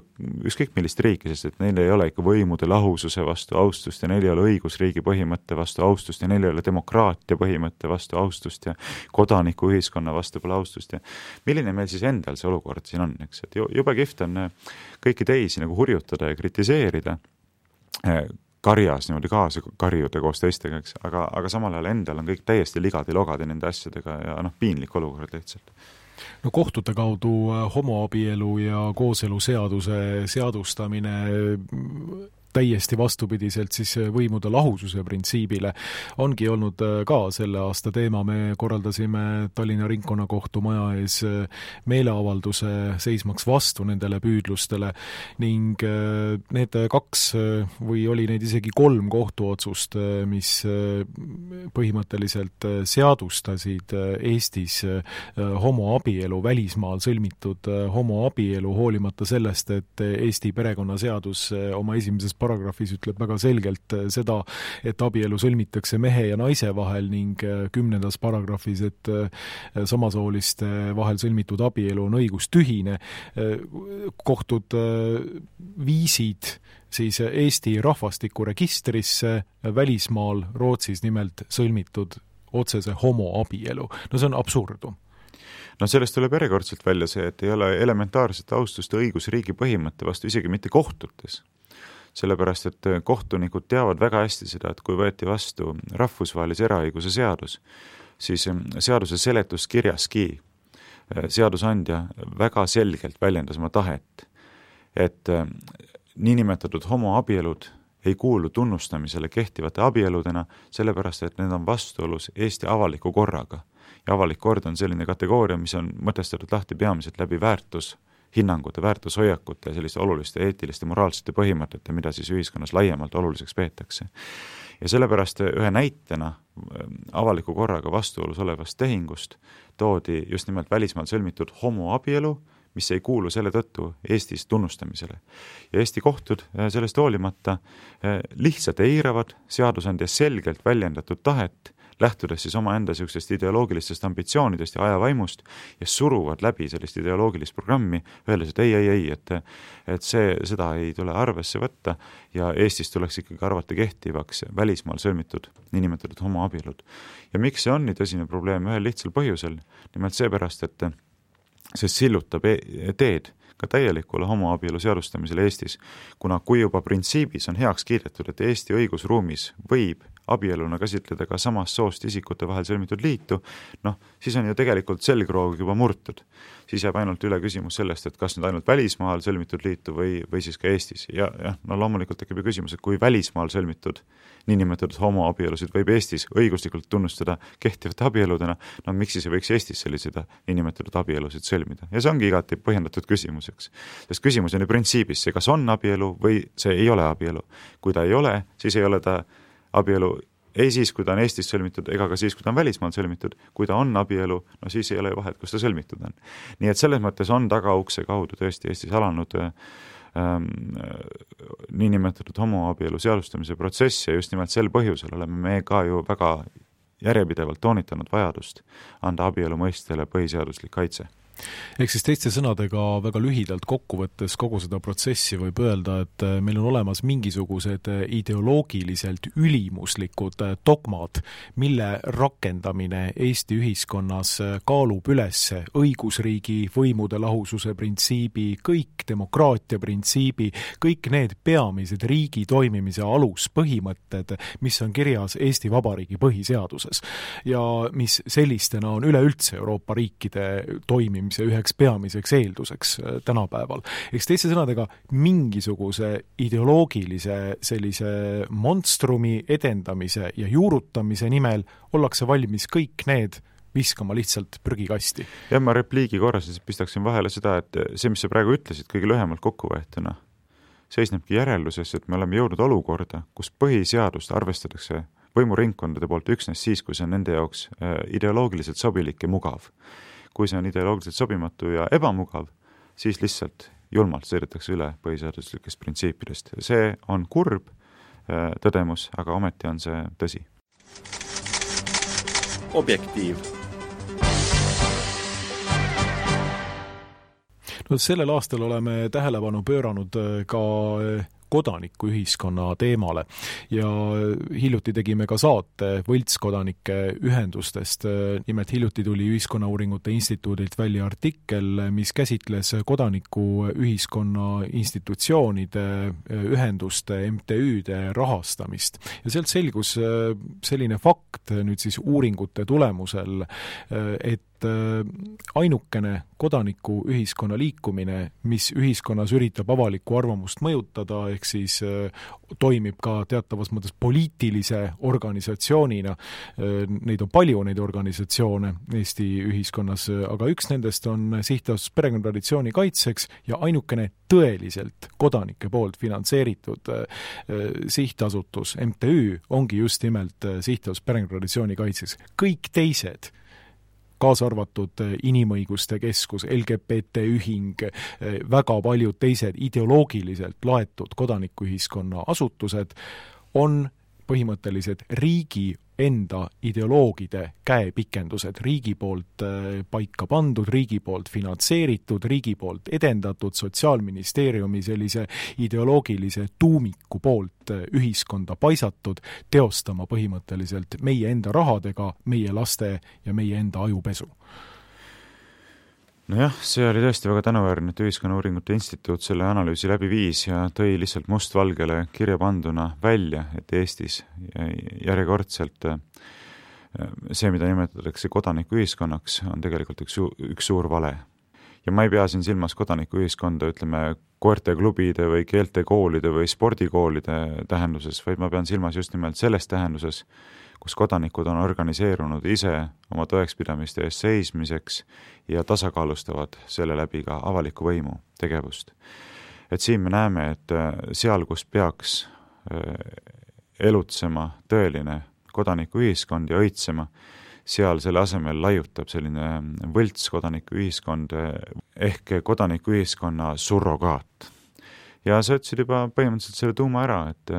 ükskõik millist riiki, sest et neil ei ole ikka võimude lahususe vastu austust ja neil ei ole õigusriigi põhimõtte vastu austust ja neil ei ole demokraatia põhimõtte vastu austust ja kodanikuühiskonna vastu pole austust ja milline meil siis endal see olukord siin on, eks, et jube kihvt on kõiki teisi nagu hurjutada ja kritiseerida karjas niimoodi kaasa karjuda koos teistega, eks, aga samal ajal endal on kõik täiesti ligadi-logadi nende asjadega ja piinlik olukord lihtsalt. Kohtute kaudu homoabielu ja kooseluseaduse seadustamine täiesti vastupidiselt siis võimude lahususe printsiibile, ongi olnud ka selle aasta teema. Me korraldasime Tallinna Ringkonnakohtu maja ees meeleavalduse seismaks vastu nendele püüdlustele ning need 2 või oli neid isegi 3 kohtuotsust, mis põhimõtteliselt seadustasid Eestis homoabielu, välismaal sõlmitud homoabielu, hoolimata sellest, et Eesti perekonnaseadus oma esimeses paragrahvis ütleb väga selgelt seda, et abielu sõlmitakse mehe ja naise vahel ning 10. paragrahvis, et samasooliste vahel sõlmitud abielu on õigustühine. Kohtud viisid siis Eesti rahvastikuregistrisse välismaal Rootsis nimelt sõlmitud otsese homoabielu. No see on absurdum. No sellest tuleb järjekordselt välja see, et ei ole elementaarset austust õigusriigi põhimõtte vastu isegi mitte kohtutes. Sellepärast, et kohtunikud teavad väga hästi seda, et kui võeti vastu rahvusvahelise eraõiguse seadus, siis seaduse seletuskirjaski seadusandja väga selgelt väljendas oma tahet, et niinimetatud homoabielud ei kuulu tunnustamisele kehtivate abieludena, sellepärast, et need on vastuolus Eesti avaliku korraga. Ja avalik kord on selline kategooria, mis on mõtestatud lahti peamiselt läbi väärtushinnangute, väärtushoiakute ja selliste oluliste eetiliste, moraalsete põhimõtete, mida siis ühiskonnas laiemalt oluliseks peetakse. Ja sellepärast ühe näitena avaliku korraga vastuolus olevast tehingust toodi just nimelt välismaal sõlmitud homoabielu, mis ei kuulu selle tõttu Eestis tunnustamisele. Ja Eesti kohtud sellest hoolimata lihtsalt eiravad seadusandja selgelt väljendatud tahet, lähtudes siis omaenda niisugustest ideoloogilistest ambitsioonidest ja ajavaimust ja suruvad läbi sellist ideoloogilist programmi, öeldes, et ei, et seda ei tule arvesse võtta ja Eestis tuleks ikkagi arvata kehtivaks välismaal sõlmitud niinimetatud homoabielud. Ja miks see on nii tõsine probleem? Ühel lihtsal põhjusel, nimelt seepärast, et see sillutab teed ka täielikule homoabielu seadustamisele Eestis, kuna kui juba printsiibis on heaks kiidetud, et Eesti õigusruumis võib abieluna käsitleda ka samast soost isikute vahel sõlmitud liitu, siis on ju tegelikult selgroog juba murtud. Siis jääb ainult üle küsimus sellest, et kas nüüd ainult välismaal sõlmitud liitu või siis ka Eestis. Ja loomulikult tekib ju küsimus, et kui välismaal sõlmitud niinimetatud homoabielusid võib Eestis õiguslikult tunnustada kehtivate abieludena, miks siis ei võiks Eestis selliseid niinimetatud abielusid sõlmida? Ja see ongi igati põhjendatud küsimuseks. Sest küsimus on ju printsiibis see, kas on abielu või see ei ole abielu. Kui ta ei ole, siis ei ole ta abielu ei siis, kui ta on Eestis sõlmitud, ega ka siis, kui ta on välismaal sõlmitud. Kui ta on abielu, siis ei ole ju vahet, kus ta sõlmitud on. Nii et selles mõttes on tagaukse kaudu tõesti Eestis alanud niinimetatud homoabielu seadustamise protsess ja just nimelt sel põhjusel oleme me ka ju väga järjepidevalt toonitanud vajadust anda abielu mõistele põhiseaduslik kaitse. Ehk siis teiste sõnadega väga lühidalt kokkuvõttes kogu seda protsessi võib öelda, et meil on olemas mingisugused ideoloogiliselt ülimuslikud dogmad, mille rakendamine Eesti ühiskonnas kaalub üles õigusriigi, võimude lahususe printsiibi, kõik demokraatia printsiibi, kõik need peamised riigi toimimise aluspõhimõtted, mis on kirjas Eesti Vabariigi põhiseaduses ja mis sellistena on üleüldse Euroopa riikide toimimise üheks peamiseks eelduseks tänapäeval. Eks teiste sõnadega mingisuguse ideoloogilise sellise monstrumi edendamise ja juurutamise nimel ollakse valmis kõik need viskama lihtsalt prügikasti. Ja ma repliigi korras pistaksin vahele seda, et see, mis sa praegu ütlesid kõige lühemalt kokkuvõetuna, seisnebki järelduses, et me oleme jõudnud olukorda, kus põhiseadust arvestatakse võimuringkondade poolt üksnes siis, kui see on nende jaoks ideoloogiliselt sobilik ja mugav. Kui see on ideoloogiliselt sobimatu ja ebamugav, siis lihtsalt julmalt sõidetakse üle põhiseaduslikest printsiipidest. See on kurb tõdemus, aga ometi on see tõsi. Objektiiv. Sellel aastal oleme tähelepanu pööranud ka kodanikuühiskonna teemale ja hiljuti tegime ka saate võltskodanike ühendustest. Nimelt hiljuti tuli Ühiskonnauuringute Instituudilt välja artikkel, mis käsitles kodanikuühiskonna institutsioonide, ühenduste, MTÜ-de rahastamist. Ja sealt selgus selline fakt nüüd siis uuringute tulemusel, et ainukene kodanikuühiskonna liikumine, mis ühiskonnas üritab avalikku arvamust mõjutada, ehk siis toimib ka teatavas mõttes poliitilise organisatsioonina. Neid on palju, neid organisatsioone Eesti ühiskonnas, aga üks nendest on Sihtasutus Perekonnatraditsiooni kaitseks ja ainukene tõeliselt kodanike poolt finantseeritud sihtasutus, MTÜ, ongi just nimelt Sihtasutus Perekonnatraditsiooni kaitseks. Kõik teised, kaasa arvatud Inimõiguste Keskus, LGBT ühing, väga paljud teised ideoloogiliselt laetud kodanikuühiskonna asutused on põhimõtteliselt riigi enda ideoloogide käepikendused, riigi poolt paika pandud, riigi poolt finantseeritud, riigi poolt edendatud, Sotsiaalministeeriumi sellise ideoloogilise tuumiku poolt ühiskonda paisatud, teostama põhimõtteliselt meie enda rahadega meie laste ja meie enda ajupesu. Nojah, see oli tõesti väga tänuväärne, et Ühiskonnauuringute Instituut selle analüüsi läbi viis ja tõi lihtsalt mustvalgele kirja panduna välja, et Eestis järjekordselt see, mida nimetatakse kodanikuühiskonnaks, on tegelikult üks suur vale. Ja ma ei pea siin silmas kodanikuühiskonda, ütleme, koerteklubide või keeltekoolide või spordikoolide tähenduses, vaid ma pean silmas just nimelt selles tähenduses, kus kodanikud on organiseerunud ise oma tõekspidamiste eest seismiseks ja tasakaalustavad selle läbi ka avaliku võimu tegevust. Et siin me näeme, et seal, kus peaks elutsema tõeline kodanikuühiskond ja õitsema, seal selle asemel laiutab selline võlts kodanikuühiskond ehk kodanikuühiskonna surrogaat. Ja sa ütlesid juba põhimõtteliselt selle tuuma ära, et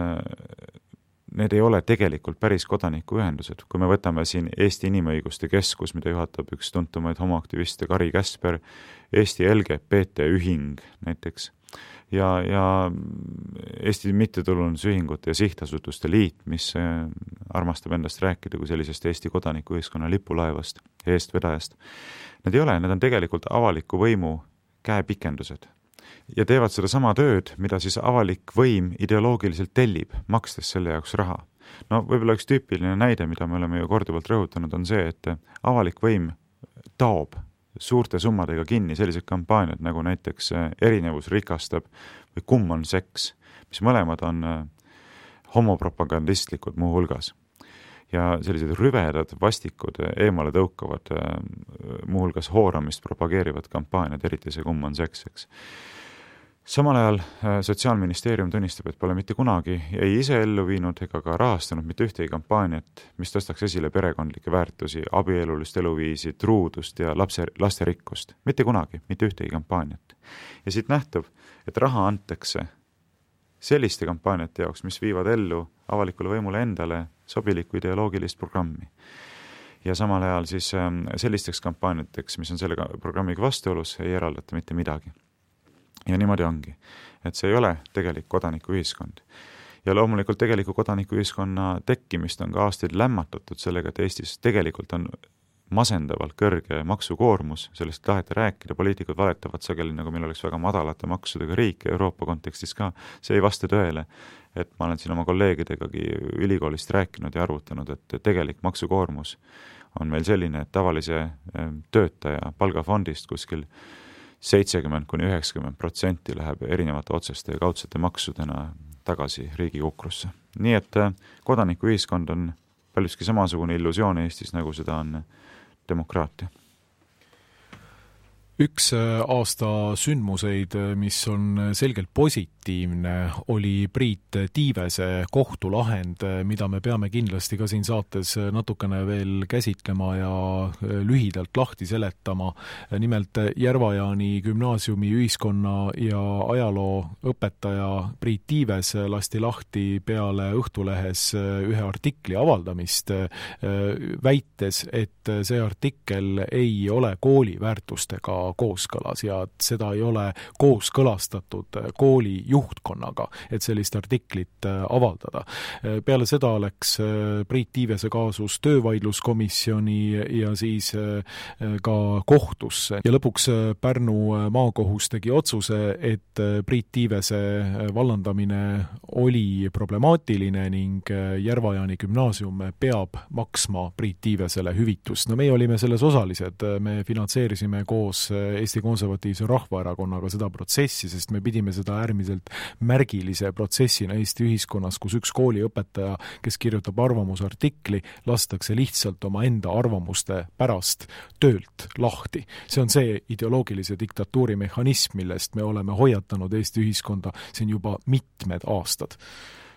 need ei ole tegelikult päris kodanikuühendused. Kui me võtame siin Eesti Inimõiguste Keskus, mida juhatab üks tuntumaid homoaktiviste Kari Käsper, Eesti LGBT ühing näiteks, ja Eesti mittetulundusühingute ja sihtasutuste liit, mis armastab endast rääkida kui sellisest Eesti kodanikuühiskonna lipulaevast, eestvedajast. Need ei ole, need on tegelikult avaliku võimu käepikendused. Ja teevad seda sama tööd, mida siis avalik võim ideoloogiliselt tellib, makstes selle jaoks raha. No võib-olla üks tüüpiline näide, mida me oleme ju korduvalt rõhutanud, on see, et avalik võim taob suurte summadega kinni sellised kampaaniad, nagu näiteks Erinevus rikastab või Kumm on seks, mis mõlemad on homopropagandistlikud muu hulgas. Ja sellised rüvedad, vastikud, eemale tõukavad, muu hulgas hooramist propageerivad kampaaniad, eriti see Kumm on seks, eks. Samal ajal Sotsiaalministeerium tunnistab, et pole mitte kunagi ei ise ellu viinud ega ka rahastanud mitte ühtegi kampaaniat, mis tõstaks esile perekondlikke väärtusi, abielulist eluviisi, truudust ja lasterikkust. Mitte kunagi, mitte ühtegi kampaaniat. Ja siit nähtub, et raha antakse selliste kampaaniate jaoks, mis viivad ellu avalikule võimule endale sobilikku ideoloogilist programmi. Ja samal ajal siis sellisteks kampaaniateks, mis on selle programmiga vastuolus, ei eraldata mitte midagi. Ja niimoodi ongi, et see ei ole tegelik kodanikuühiskond. Ja loomulikult tegeliku kodanikuühiskonna tekkimist on ka aastaid lämmatatud sellega, et Eestis tegelikult on masendavalt kõrge maksukoormus, sellest taheti rääkida, poliitikud valetavad sageli, nagu meil oleks väga madalate maksudega riik Euroopa kontekstis ka, see ei vasta tõele, et ma olen siin oma kolleegidegagi ülikoolist rääkinud ja arvutanud, et tegelik maksukoormus on meil selline, et tavalise töötaja palgafondist kuskil 70–90% läheb erinevate otseste ja kaudsete maksudena tagasi riigi kukrusse. Nii et kodanikuühiskond on paljuski samasugune illusioon Eestis, nagu seda on demokraatia. Üks aasta sündmuseid, mis on selgelt positiivne, oli Priit Tiivese kohtulahend, mida me peame kindlasti ka siin saates natukene veel käsitlema ja lühidalt lahti seletama. Nimelt Järvajaani gümnaasiumi ühiskonna ja ajaloo õpetaja Priit Tiives lasti lahti peale Õhtulehes ühe artikli avaldamist, väites, et see artikkel ei ole kooli väärtustega kooskõlas ja seda ei ole kooskõlastatud kooli juhtkonnaga, et sellist artiklit avaldada. Peale seda läks Priit Tiivese kaasus töövaidluskomisjoni ja siis ka kohtusse ja lõpuks Pärnu maakohus tegi otsuse, et Priit Tiivese vallandamine oli problemaatiline ning Järva-Jaani gümnaasium peab maksma Priit Tiivesele hüvitust. No meie olime selles osalised, me finantseerisime koos Eesti Konservatiivse Rahvaerakonnaga seda protsessi, sest me pidime seda äärmiselt märgilise protsessina Eesti ühiskonnas, kus üks kooliõpetaja, kes kirjutab arvamusartikli, lastakse lihtsalt oma enda arvamuste pärast töölt lahti. See on see ideoloogilise diktatuuri mehhanism, millest me oleme hoiatanud Eesti ühiskonda siin juba mitmed aastad.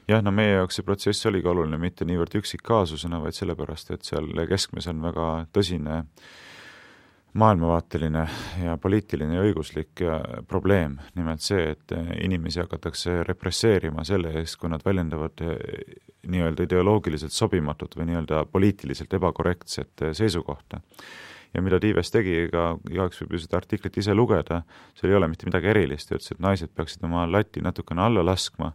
Jah, no meie jaoks see protsess oligi oluline mitte niivõrd üksikkaasusena, vaid sellepärast, et seal keskmes on väga tõsine maailmavaateline ja poliitiline ja õiguslik probleem. Nimelt see, et inimesi hakatakse represseerima selle eest, kui nad väljendavad nii-öelda ideoloogiliselt sobimatut või nii-öelda poliitiliselt ebakorrektset seisukohta. Ja mida Tiives tegi, igaüks võib ju seda artiklit ise lugeda, seal ei ole mitte midagi erilist, ütles, et naised peaksid oma lati natukene alla laskma,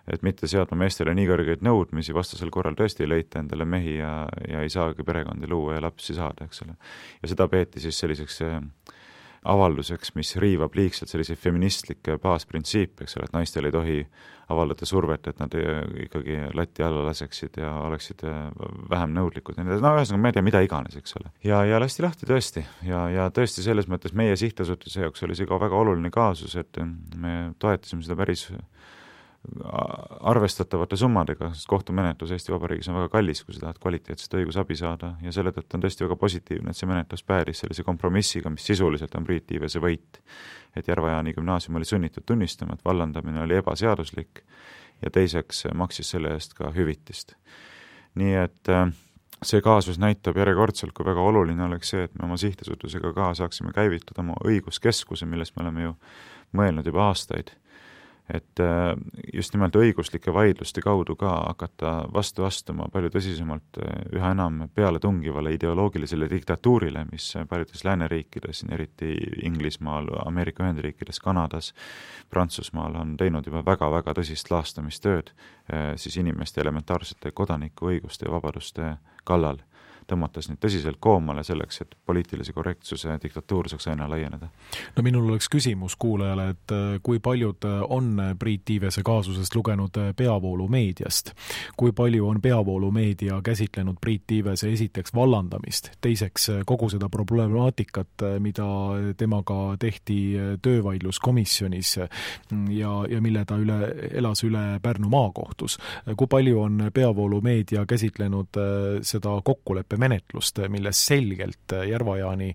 et mitte seadma meestele nii kõrgeid nõudmisi, vastasel korral tõesti ei leita endale mehi ja ei saagi perekondi luua ja lapsi saada, eks ole. Ja seda peeti siis selliseks avalduseks, mis riivab liigselt selliseid feministlikke baasprintsiipe, eks ole, et naistel ei tohi avaldada survet, et nad ikkagi lati alla laseksid ja oleksid vähem nõudlikud. No ühesõnaga, ma ei tea, mida iganes, eks ole. Ja lasti lahti tõesti. Ja tõesti selles mõttes meie sihtasutuse jaoks oli see ka väga oluline kaasus, et me toetasime seda päris arvestatavate summadega, sest kohtumenetlus Eesti Vabariigis on väga kallis, kui sa tahad kvaliteetset õigusabi saada ja selle tõttu on tõesti väga positiivne, et see menetlus päädis sellise kompromissiga, mis sisuliselt on Priit Tiivese võit. Et Järva-Jaani gümnaasium oli sunnitud tunnistama, et vallandamine oli ebaseaduslik ja teiseks maksis selle eest ka hüvitist. Nii et see kaasus näitab järjekordselt, kui väga oluline oleks see, et me oma sihtasutusega ka saaksime käivitada oma õiguskeskuse, millest me oleme ju mõelnud juba aastaid. Et just nimelt õiguslike vaidluste kaudu ka hakata vastu astuma palju tõsisemalt üha enam peale tungivale ideoloogilisele diktatuurile, mis paljudes lääneriikides, eriti Inglismaal, Ameerika Ühendriikides, Kanadas, Prantsusmaal on teinud juba väga-väga tõsist laastamistööd siis inimeste elementaarsete kodanikuõiguste ja vabaduste kallal, tõmmates nüüd tõsiselt koomale selleks, et poliitilise korrektsuse diktatuur saaks aina laieneda. No minul oleks küsimus kuulajale, et kui paljud on Priit Tiivese kaasusest lugenud peavoolumeediast? Kui palju on peavoolumeedia käsitlenud Priit Tiivese esiteks vallandamist, teiseks kogu seda problemaatikat, mida temaga tehti töövaidluskomisjonis ja mille ta elas üle Pärnu maakohtus? Kui palju on peavoolumeedia käsitlenud seda kokkuleppe menetlust, milles selgelt Järva-Jaani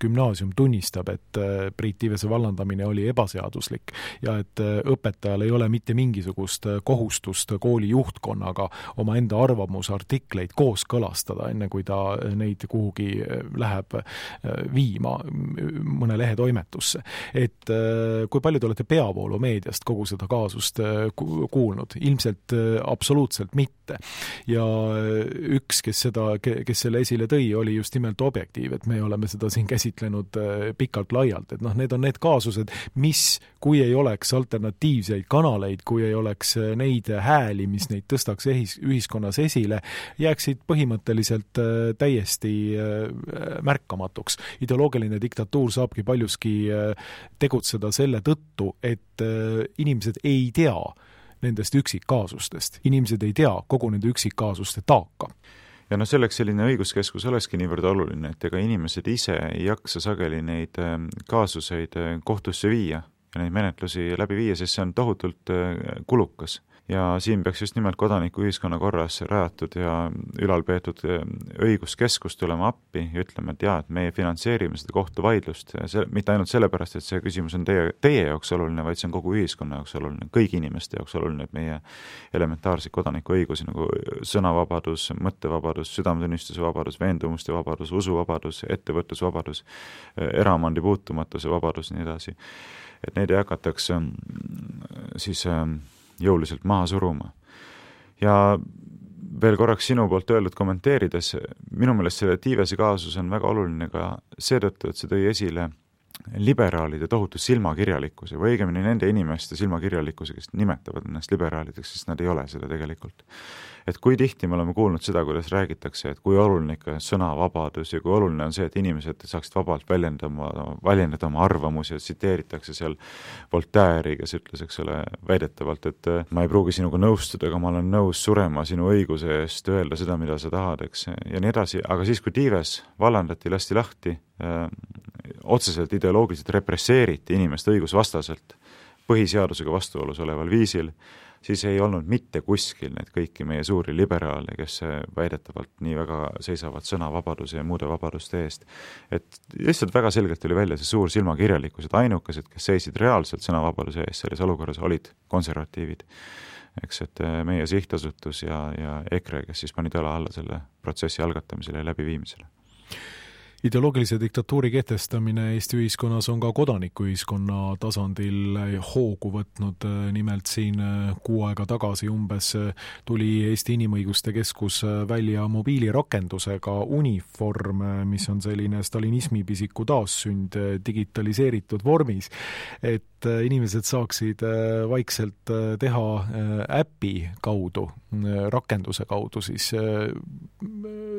gümnaasium tunnistab, et Priit Tiivese vallandamine oli ebaseaduslik ja et õpetajal ei ole mitte mingisugust kohustust kooli juhtkonnaga oma enda arvamusartikleid kooskõlastada, enne kui ta neid kuhugi läheb viima mõne lehetoimetusse. Et kui palju te olete peavoolumeediast kogu seda kaasust kuulnud? Ilmselt absoluutselt mitte. Ja üks, kes selle esile tõi, oli just nimelt Objektiiv, et me oleme seda siin käsitlenud pikalt laialt, et need on need kaasused, mis, kui ei oleks alternatiivseid kanaleid, kui ei oleks neid hääli, mis neid tõstaks ühiskonnas esile, jääksid põhimõtteliselt täiesti märkamatuks. Ideoloogiline diktatuur saabki paljuski tegutseda selle tõttu, et inimesed ei tea nendest üksikkaasustest. Inimesed ei tea kogu nende üksikkaasuste taaka. Ja selleks selline õiguskeskus olekski niivõrd oluline, et ega inimesed ise ei jaksa sageli neid kaasuseid kohtusse viia ja neid menetlusi läbi viia, sest see on tohutult kulukas. Ja siin peaks just nimelt kodanikuühiskonna korras rajatud ja ülalpeetud õiguskeskust tulema appi ja ütlema, et et meie finantseerime seda kohtuvaidlust, mitte ainult sellepärast, et see küsimus on teie jaoks oluline, vaid see on kogu ühiskonna jaoks oluline, kõigi inimeste jaoks oluline, et meie elementaarseid kodanikuõigusi nagu sõnavabadus, mõttevabadus, südametunnistuse vabadus, veendumuste vabadus, usuvabadus, ettevõtlusvabadus, eraomandi puutumatuse vabadus ja nii edasi. Et neid jagatakse siis jõuliselt maha suruma. Ja veel korraks sinu poolt öeldud kommenteerides, minu meelest selle Tiivese kaasus on väga oluline ka seetõttu, et see tõi esile liberaalide tohutu silmakirjalikkuse või õigemini nende inimeste silmakirjalikkuse, kes nimetavad ennast liberaalideks, sest nad ei ole seda tegelikult. Et kui tihti me oleme kuulnud seda, kuidas räägitakse, et kui oluline ikka sõnavabadus ja kui oluline on see, et inimesed saaksid vabalt väljendada oma arvamusi ja tsiteeritakse seal Voltaire'i, kes ütles, eks ole, väidetavalt, et ma ei pruugi sinuga nõustuda, aga ma olen nõus surema sinu õiguse eest öelda seda, mida sa tahad, eks, ja nii edasi. Aga siis, kui Dives vallandati, lasti lahti, otseselt ideoloogiliselt represseeriti inimest õigusvastaselt põhiseadusega vastuolus oleval viisil, siis ei olnud mitte kuskil neid kõiki meie suuri liberaale, kes väidetavalt nii väga seisavad sõnavabaduse ja muude vabaduste eest. Et lihtsalt väga selgelt oli välja see suur silmakirjalikkus, et ainukesed, kes seisid reaalselt sõnavabaduse eest selles olukorras, olid konservatiivid. Eks, et meie sihtasutus ja EKRE, kes siis panid õla alla selle protsessi algatamisele ja läbiviimisele. Ideoloogilise diktatuuri kehtestamine Eesti ühiskonnas on ka kodanikuühiskonna tasandil hoogu võtnud. Nimelt siin 6 aega tagasi umbes tuli Eesti Inimõiguste Keskus välja mobiilirakendusega Uniform, mis on selline stalinismi pisiku taassünd digitaliseeritud vormis, et inimesed saaksid vaikselt teha äpi kaudu, rakenduse kaudu siis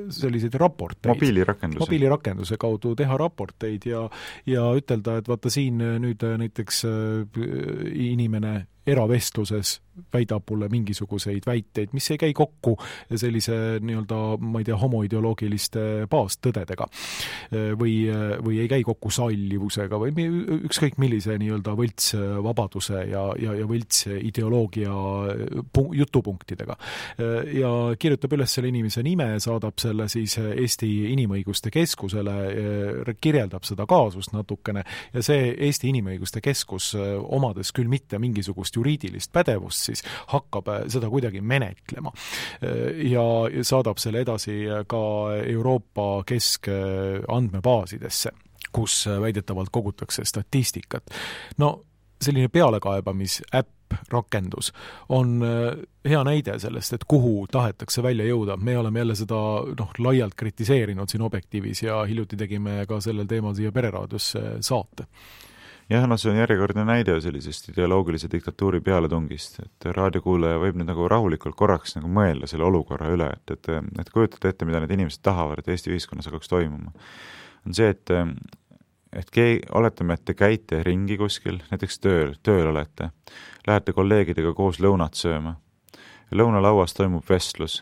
selliseid raporteid. Mobiilirakenduse kaudu teha raporteid ja ütelda, et vaata siin nüüd näiteks inimene eravestluses väidab mulle mingisuguseid väiteid, mis ei käi kokku sellise nii-öelda, ma ei tea, homoideoloogiliste baastõdedega või ei käi kokku sallivusega või ükskõik millise nii-öelda võltsvabaduse ja võlts ideoloogia jutupunktidega. Ja kirjutab üles selle inimese nime, saadab selle siis Eesti Inimõiguste Keskusele, kirjeldab seda kaasust natukene ja see Eesti Inimõiguste Keskus, omades küll mitte mingisugust juriidilist pädevust, siis hakkab seda kuidagi menetlema ja saadab selle edasi ka Euroopa keskandmebaasidesse, kus väidetavalt kogutakse statistikat. No selline pealekaebamisäpp, rakendus on hea näide sellest, et kuhu tahetakse välja jõuda. Me oleme jälle seda laialt kritiseerinud siin Objektiivis ja hiljuti tegime ka sellel teemal siia Pereraadiosse saate. Jah, see on järjekordne näide sellisest ideoloogilise diktatuuri pealetungist, et raadiokuulaja võib nüüd nagu rahulikult korraks nagu mõelda selle olukorra üle, et kujutada ette, mida need inimesed tahavad, et Eesti ühiskonnas hakkaks toimuma. On see, et oletame, et te käite ringi kuskil, näiteks tööl olete, lähete kolleegidega koos lõunat sööma, lõunalauas toimub vestlus,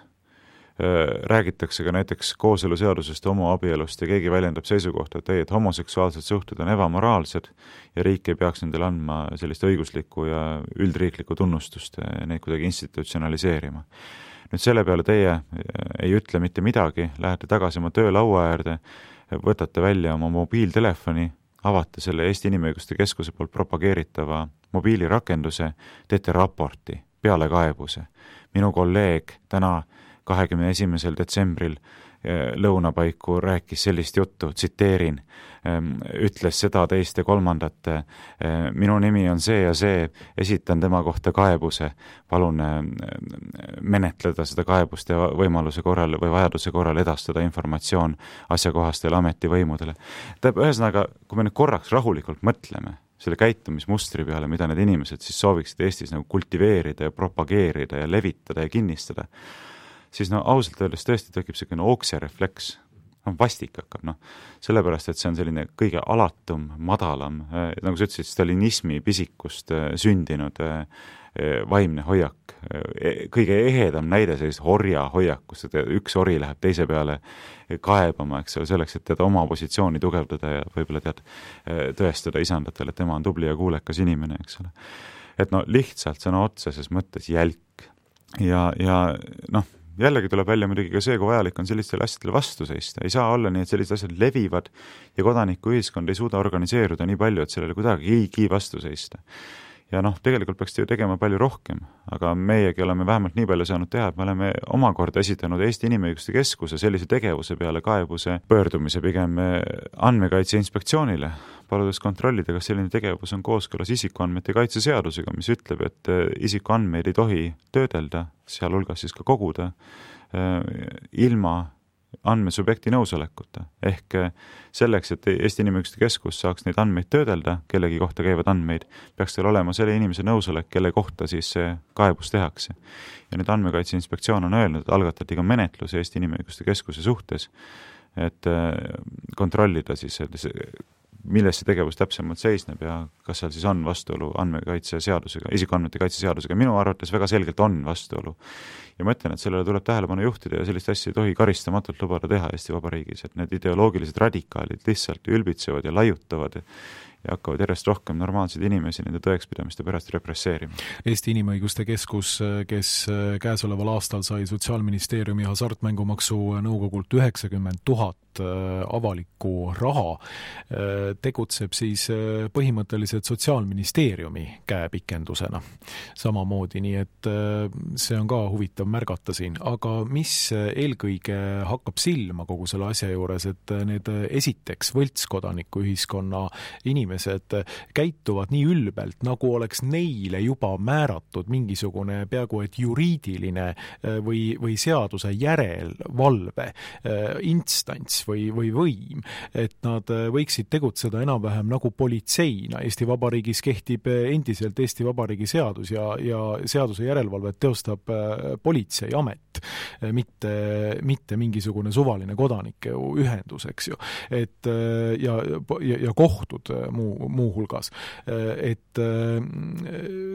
räägitakse ka näiteks kooseluseadusest, homoabielust ja keegi väljendab seisukohta, et homoseksuaalsed suhted on ebamoraalsed ja riik ei peaks nendele andma sellist õiguslikku ja üldriiklikku tunnustust, neid kuidagi institutsionaliseerima. Nüüd selle peale teie ei ütle mitte midagi, lähete tagasi oma töölaua äärde, võtate välja oma mobiiltelefoni, avate selle Eesti Inimõiguste Keskuse poolt propageeritava mobiilirakenduse, teete raporti, pealekaebuse. Minu kolleeg täna 21. detsembril lõunapaiku rääkis sellist juttu, tsiteerin, ütles seda, teist ja kolmandat, minu nimi on see ja see, esitan tema kohta kaebuse, palun menetleda seda kaebust ja võimaluse korral või vajaduse korral edastada informatsioon asjakohastele ametivõimudele. Ühesõnaga, kui me nüüd korraks rahulikult mõtleme selle käitumismustri peale, mida need inimesed siis sooviksid Eestis nagu kultiveerida ja propageerida ja levitada ja kinnistada, siis ausalt öeldes tõesti tekib selline okserefleks, vastik hakkab, sellepärast, et see on selline kõige alatum, madalam, nagu sa ütlesid, stalinismi pisikust sündinud vaimne hoiak, kõige ehedam näide sellist orja hoiakust, et üks ori läheb teise peale kaebama, eks ole, selleks, et oma positsiooni tugevdada ja võib-olla tõestada isandatele, et tema on tubli ja kuulekas inimene, eks ole. Et lihtsalt sõna otseses mõttes jälk ja jällegi tuleb välja muidugi ka see, kui vajalik on sellistele asjadele vastu seista. Ei saa olla nii, et sellised asjad levivad ja kodanikuühiskond ei suuda organiseeruda nii palju, et sellele kuidagi vastu seista. Ja tegelikult peaks ju tegema palju rohkem, aga meiegi oleme vähemalt nii palju saanud teha, et me oleme omakorda esitanud Eesti Inimõiguste Keskuse sellise tegevuse peale kaebuse pöördumise pigem Andmekaitse Inspektsioonile, paludes kontrollida, kas selline tegevus on kooskõlas isikuandmete kaitse seadusega, mis ütleb, et isikuandmeid ei tohi töödelda, sealhulgas siis ka koguda, ilma andmesubjekti nõusolekuta. Ehk selleks, et Eesti Inimõiguste Keskus saaks neid andmeid töödelda, kellegi kohta käivad andmeid, peaks teil olema selle inimese nõusolek, kelle kohta siis see kaebus tehakse. Ja nüüd Andmekaitse Inspektsioon on öelnud, et algatati ka menetlus Eesti Inimõiguste Keskuse suhtes, et kontrollida siis, milles see tegevus täpsemalt seisneb ja kas seal siis on vastuolu andmekaitse seadusega, isikuandmete kaitse seadusega. Minu arvates väga selgelt on vastuolu. Ja ma ütlen, et sellele tuleb tähelepanu juhtida ja sellist asja ei tohi karistamatult lubada teha Eesti Vabariigis, et need ideoloogilised radikaalid lihtsalt ülbitsevad ja laiutavad ja hakkavad järjest rohkem normaalseid inimesi nende tõekspidamiste pärast represseerima. Eesti Inimõiguste Keskus, kes käesoleval aastal sai Sotsiaalministeeriumi hasartmängumaksu nõukogult 90 000 avalikku raha, tegutseb siis põhimõtteliselt Sotsiaalministeeriumi käepikendusena samamoodi, nii et see on ka huvitav märgata siin. Aga mis eelkõige hakkab silma kogu selle asja juures, et need esiteks võltskodanike ühiskonna inimesed käituvad nii ülbelt, nagu oleks neile juba määratud mingisugune peaaegu et juriidiline või seaduse järelevalve instants või võim, et nad võiksid tegutseda enam-vähem nagu politseina. Eesti Vabariigis kehtib endiselt Eesti Vabariigi seadus ja seaduse järelevalvet teostab politseiamet, mitte mingisugune suvaline kodanike ühendus, eks ju. Et, ja kohtud muu hulgas. Et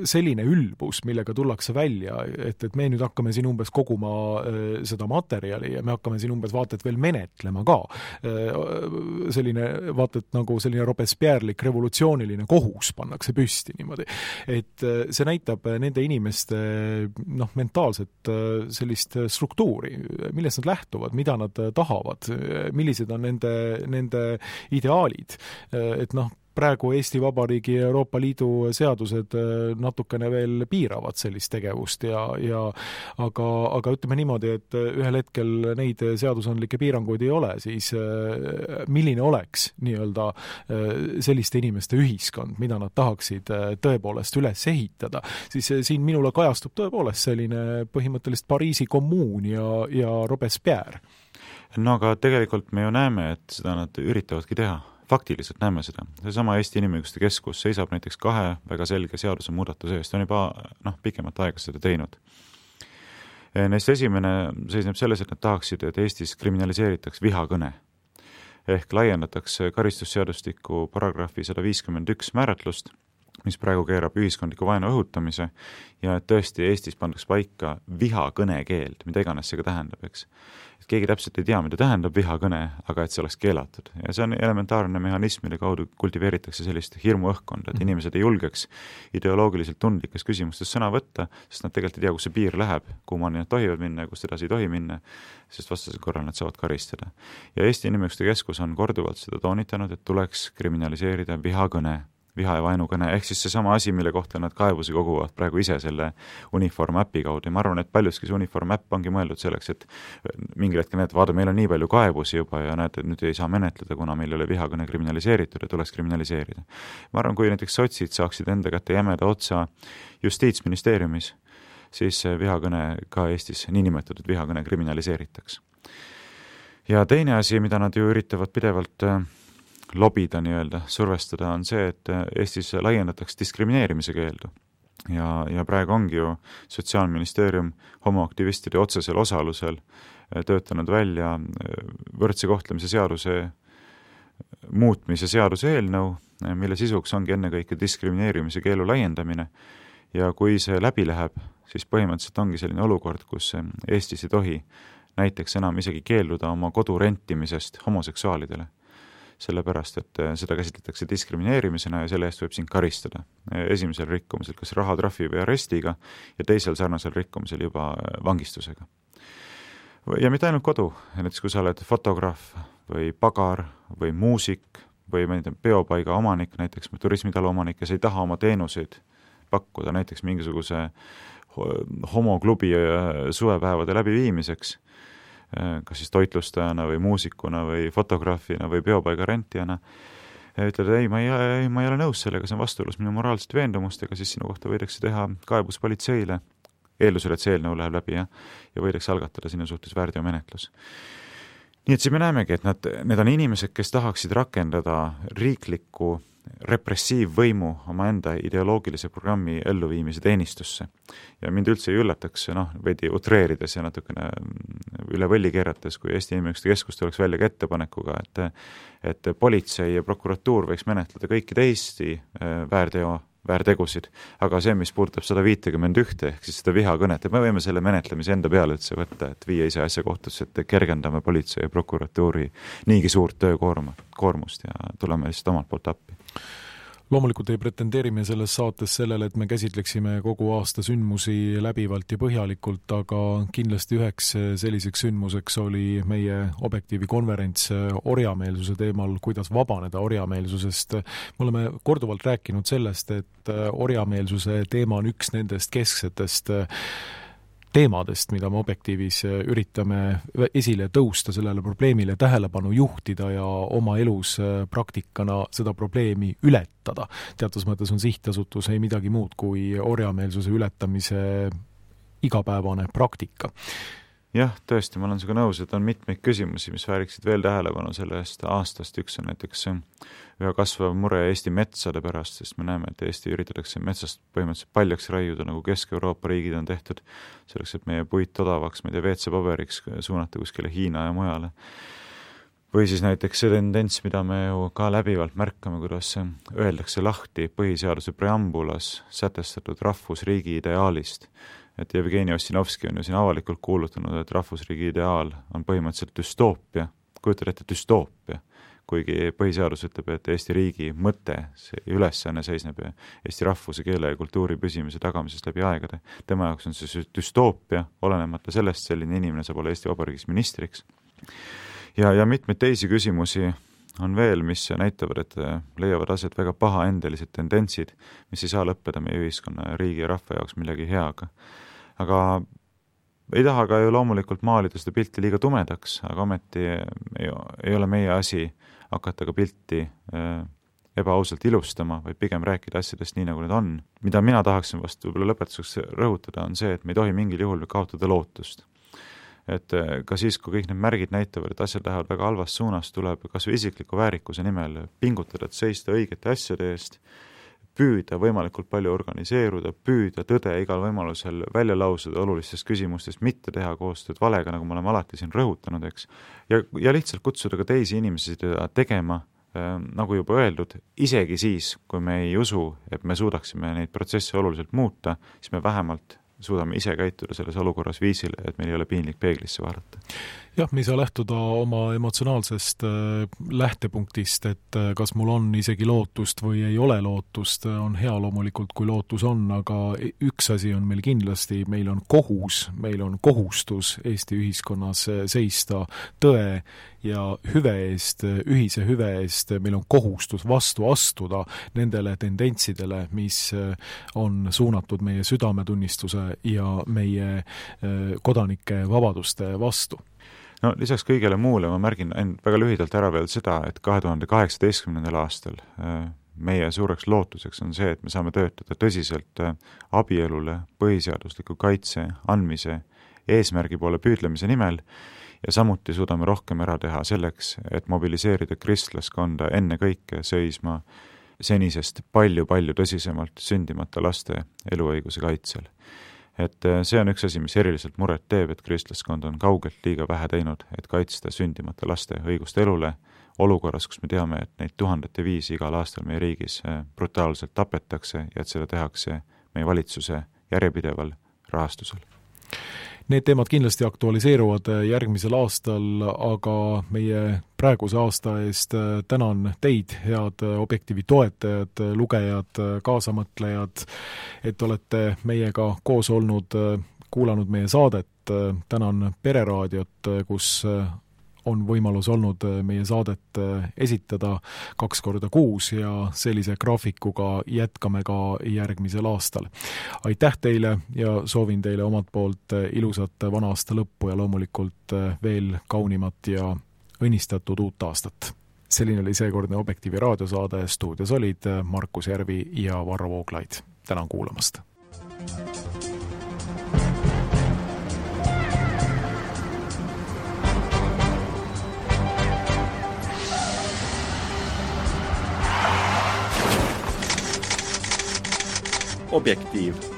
selline ülbus, millega tullakse välja, et me nüüd hakkame siin umbes koguma seda materjali ja me hakkame siin umbes vaatet veel menetlema ka. Selline vaatet nagu selline Robespierrelik revolutsiooniline kohus pannakse püsti niimoodi. Et see näitab nende inimeste mentaalset sellist struktuuri, millest nad lähtuvad, mida nad tahavad, millised on nende ideaalid. Et praegu Eesti Vabariigi ja Euroopa Liidu seadused natukene veel piiravad sellist tegevust aga ütleme niimoodi, et ühel hetkel neid seadusandlikke piiranguid ei ole, siis milline oleks nii-öelda selliste inimeste ühiskond, mida nad tahaksid tõepoolest üles ehitada, siis siin minule kajastub tõepoolest selline põhimõtteliselt Pariisi kommuun ja Robespierre. No aga tegelikult me ju näeme, et seda nad üritavadki teha. Faktiliselt näeme seda. Seesama Eesti Inimõiguste Keskus seisab näiteks 2 väga selge seaduse muudatuse eest, on juba pikemat aega seda teinud. Neist esimene seisneb selles, et nad tahaksid, et Eestis kriminaliseeritaks vihakõne. Ehk laiendatakse karistusseadustiku paragrahvi 151 määratlust, mis praegu keerab ühiskondliku vaenu õhutamise ja et tõesti Eestis pandaks paika vihakõne keeld, mida iganes see ka tähendab, eks. Et keegi täpselt ei tea, mida tähendab vihakõne, aga et see oleks keelatud. Ja see on elementaarne mehhanism, mille kaudu kultiveeritakse sellist hirmuõhkkonda, et inimesed ei julgeks ideoloogiliselt tundlikes küsimustes sõna võtta, sest nad tegelikult ei tea, kus see piir läheb, kuhu nad tohivad minna ja kust edasi ei tohi minna, sest vastasel korral nad saavad karistada. Ja Eesti Inimõiguste Keskus on korduvalt seda toonitanud, et tuleks kriminaliseerida vihakõne, viha ja vaenukõne, ehk siis seesama asi, mille kohta nad kaebusi koguvad praegu ise selle Uniform äpi kaudu. Ja ma arvan, et paljuski see Uniform äpp ongi mõeldud selleks, et mingil hetkel näed, vaada, meil on nii palju kaebusi juba ja näed, et nüüd ei saa menetleda, kuna meil ei ole vihakõne kriminaliseeritud ja tuleks kriminaliseerida. Ma arvan, kui näiteks sotsid saaksid enda kätte jämeda otsa Justiitsministeeriumis, siis vihakõne ka Eestis, niinimetatud vihakõne kriminaliseeritaks. Ja teine asi, mida nad ju üritavad pidevalt lobida nii-öelda, survestada, on see, et Eestis laiendatakse diskrimineerimise keeldu. Ja praegu ongi ju Sotsiaalministeerium homoaktivistide otsesel osalusel töötanud välja võrdse kohtlemise seaduse muutmise seaduse eelnõu, mille sisuks ongi ennekõike diskrimineerimise keelu laiendamine. Ja kui see läbi läheb, siis põhimõtteliselt ongi selline olukord, kus Eestis ei tohi näiteks enam isegi keelduda oma kodu rentimisest homoseksuaalidele. Sellepärast, et seda käsitletakse diskrimineerimisena ja selle eest võib siin karistada. Esimesel rikkumisel kas rahatrahvi või arestiga ja teisel sarnasel rikkumisel juba vangistusega. Ja mitte ainult kodu, näiteks kui sa oled fotograaf või pagar või muusik või peopaiga omanik, näiteks turismitalo omanik, kes ei taha oma teenuseid pakkuda näiteks mingisuguse homoklubi suvepäevade läbiviimiseks, kas siis toitlustajana või muusikuna või fotograafina või peopaiga rentijana, ütled, ei, ma ei ole nõus sellega, see on vastuolus minu moraalsete veendumustega, siis sinu kohta võidakse teha kaebus politseile, eeldusel, et see eelnõu läheb läbi ja võidakse algatada sinu suhtes väärteomenetlus. Nii et siin me näemegi, et need on inimesed, kes tahaksid rakendada riiklikku repressiivvõimu omaenda ideoloogilise programmi elluviimise teenistusse. Ja mind üldse ei üllataks, veidi utreerides ja natukene üle võlli keerates, kui Eesti Inimõiguste Keskus tuleks välja ka ettepanekuga, et politsei ja prokuratuur võiks menetleda kõiki teisi väärtegusid, aga see, mis puudutab 151 ehk siis seda vihakõnet, et me võime selle menetlemise enda peale üldse võtta, et viia ise asja kohtusse, et kergendame politsei ja prokuratuuri niigi suurt töökoormust ja tuleme lihtsalt omalt poolt appi. Loomulikult ei pretendeerime selles saates sellele, et me käsitleksime kogu aasta sündmusi läbivalt ja põhjalikult, aga kindlasti üheks selliseks sündmuseks oli meie Objektiivi konverents orjameelsuse teemal, kuidas vabaneda orjameelsusest. Me oleme korduvalt rääkinud sellest, et orjameelsuse teema on üks nendest kesksetest teemadest, mida me Objektiivis üritame esile tõusta, sellele probleemile tähelepanu juhtida ja oma elus praktikana seda probleemi ületada. Teatud mõttes on sihtasutus ei midagi muud kui orjameelsuse ületamise igapäevane praktika. Jah, tõesti, ma olen sinuga nõus, et on mitmeid küsimusi, mis vääriksid veel tähelepanu sellest aastast. Üks on näiteks ühe kasvav mure Eesti metsade pärast, sest me näeme, et Eesti üritatakse metsast põhimõtteliselt paljaks raiuda, nagu Kesk-Euroopa riigid on tehtud, selleks, et meie puit odavaks, WC-paberiks suunata kuskile Hiina ja mujale. Või siis näiteks see tendents, mida me ju ka läbivalt märkame, kuidas öeldakse lahti põhiseaduse preambulas sätestatud rahvusriigi ideaalist. Et Jevgeni Ossinovski on ju siin avalikult kuulutanud, et rahvusriigi ideaal on põhimõtteliselt düstoopia, kujutad ette düstoopia, kuigi põhiseadus ütleb, et Eesti riigi mõte, see ülesanne seisneb Eesti rahvuse, keele ja kultuuri püsimise tagamisest läbi aegade. Tema jaoks on see düstoopia, olenemata sellest, selline inimene saab olla Eesti Vabariigis ministriks. Ja mitmeid teisi küsimusi on veel, mis näitavad, et leiavad aset väga pahaendelised tendentsid, mis ei saa lõppeda meie ühiskonna, riigi ja rahva jaoks millegi heaga. Aga ei taha ka ju loomulikult maalida seda pilti liiga tumedaks, aga ometi ei ole meie asi hakata ka pilti ebaausalt ilustama, vaid pigem rääkida asjadest nii, nagu need on. Mida mina tahaksin vast võib-olla lõpetuseks rõhutada, on see, et me ei tohi mingil juhul kaotada lootust. Et ka siis, kui kõik need märgid näitavad, et asjad lähevad väga halvas suunas, tuleb kas või isikliku väärikuse nimel pingutada, et seista õigete asjade eest, püüda võimalikult palju organiseeruda, püüda tõde igal võimalusel välja lausuda olulistest küsimustest, mitte teha koostööd valega, nagu me oleme alati siin rõhutanud, eks. Ja lihtsalt kutsuda ka teisi inimesi seda tegema, nagu juba öeldud, isegi siis, kui me ei usu, et me suudaksime neid protsesse oluliselt muuta, siis me vähemalt suudame ise käituda selles olukorras viisil, et meil ei ole piinlik peeglisse vaadata. Jah, me ei saa lähtuda oma emotsionaalsest lähtepunktist, et kas mul on isegi lootust või ei ole lootust, on hea loomulikult, kui lootus on, aga üks asi on meil kindlasti, meil on kohustus Eesti ühiskonnas seista tõe ja hüve eest, ühise hüve eest, meil on kohustus vastu astuda nendele tendentsidele, mis on suunatud meie südametunnistuse ja meie kodanike vabaduste vastu. No lisaks kõigele muule ma märgin väga lühidalt ära veel seda, et 2018. aastal meie suureks lootuseks on see, et me saame töötada tõsiselt abielule põhiseadusliku kaitse andmise eesmärgi poole püüdlemise nimel ja samuti suudame rohkem ära teha selleks, et mobiliseerida kristlaskonda enne kõike seisma senisest palju-palju tõsisemalt sündimata laste eluõiguse kaitsel. Et see on üks asi, mis eriliselt muret teeb, et kristlaskond on kaugelt liiga vähe teinud, et kaitsta sündimata laste õigust elule olukorras, kus me teame, et neid 1005 igal aastal meie riigis brutaalselt tapetakse ja et seda tehakse meie valitsuse järjepideval rahastusel. Need teemad kindlasti aktualiseeruvad järgmisel aastal, aga meie praeguse aasta eest tänan teid, head Objektiivi toetajad, lugejad, kaasamõtlejad, et olete meiega koos olnud, kuulanud meie saadet. Tänan Pereraadiot, kus on võimalus olnud meie saadet esitada 2 korda kuus ja sellise graafikuga jätkame ka järgmisel aastal. Aitäh teile ja soovin teile omalt poolt ilusat vana aasta lõppu ja loomulikult veel kaunimat ja õnnistatud uut aastat. Selline oli seekordne Objektiivi raadiosaade, stuudios olid Markus Järvi ja Varro Vooglaid. Tänan kuulamast! Objektiiv.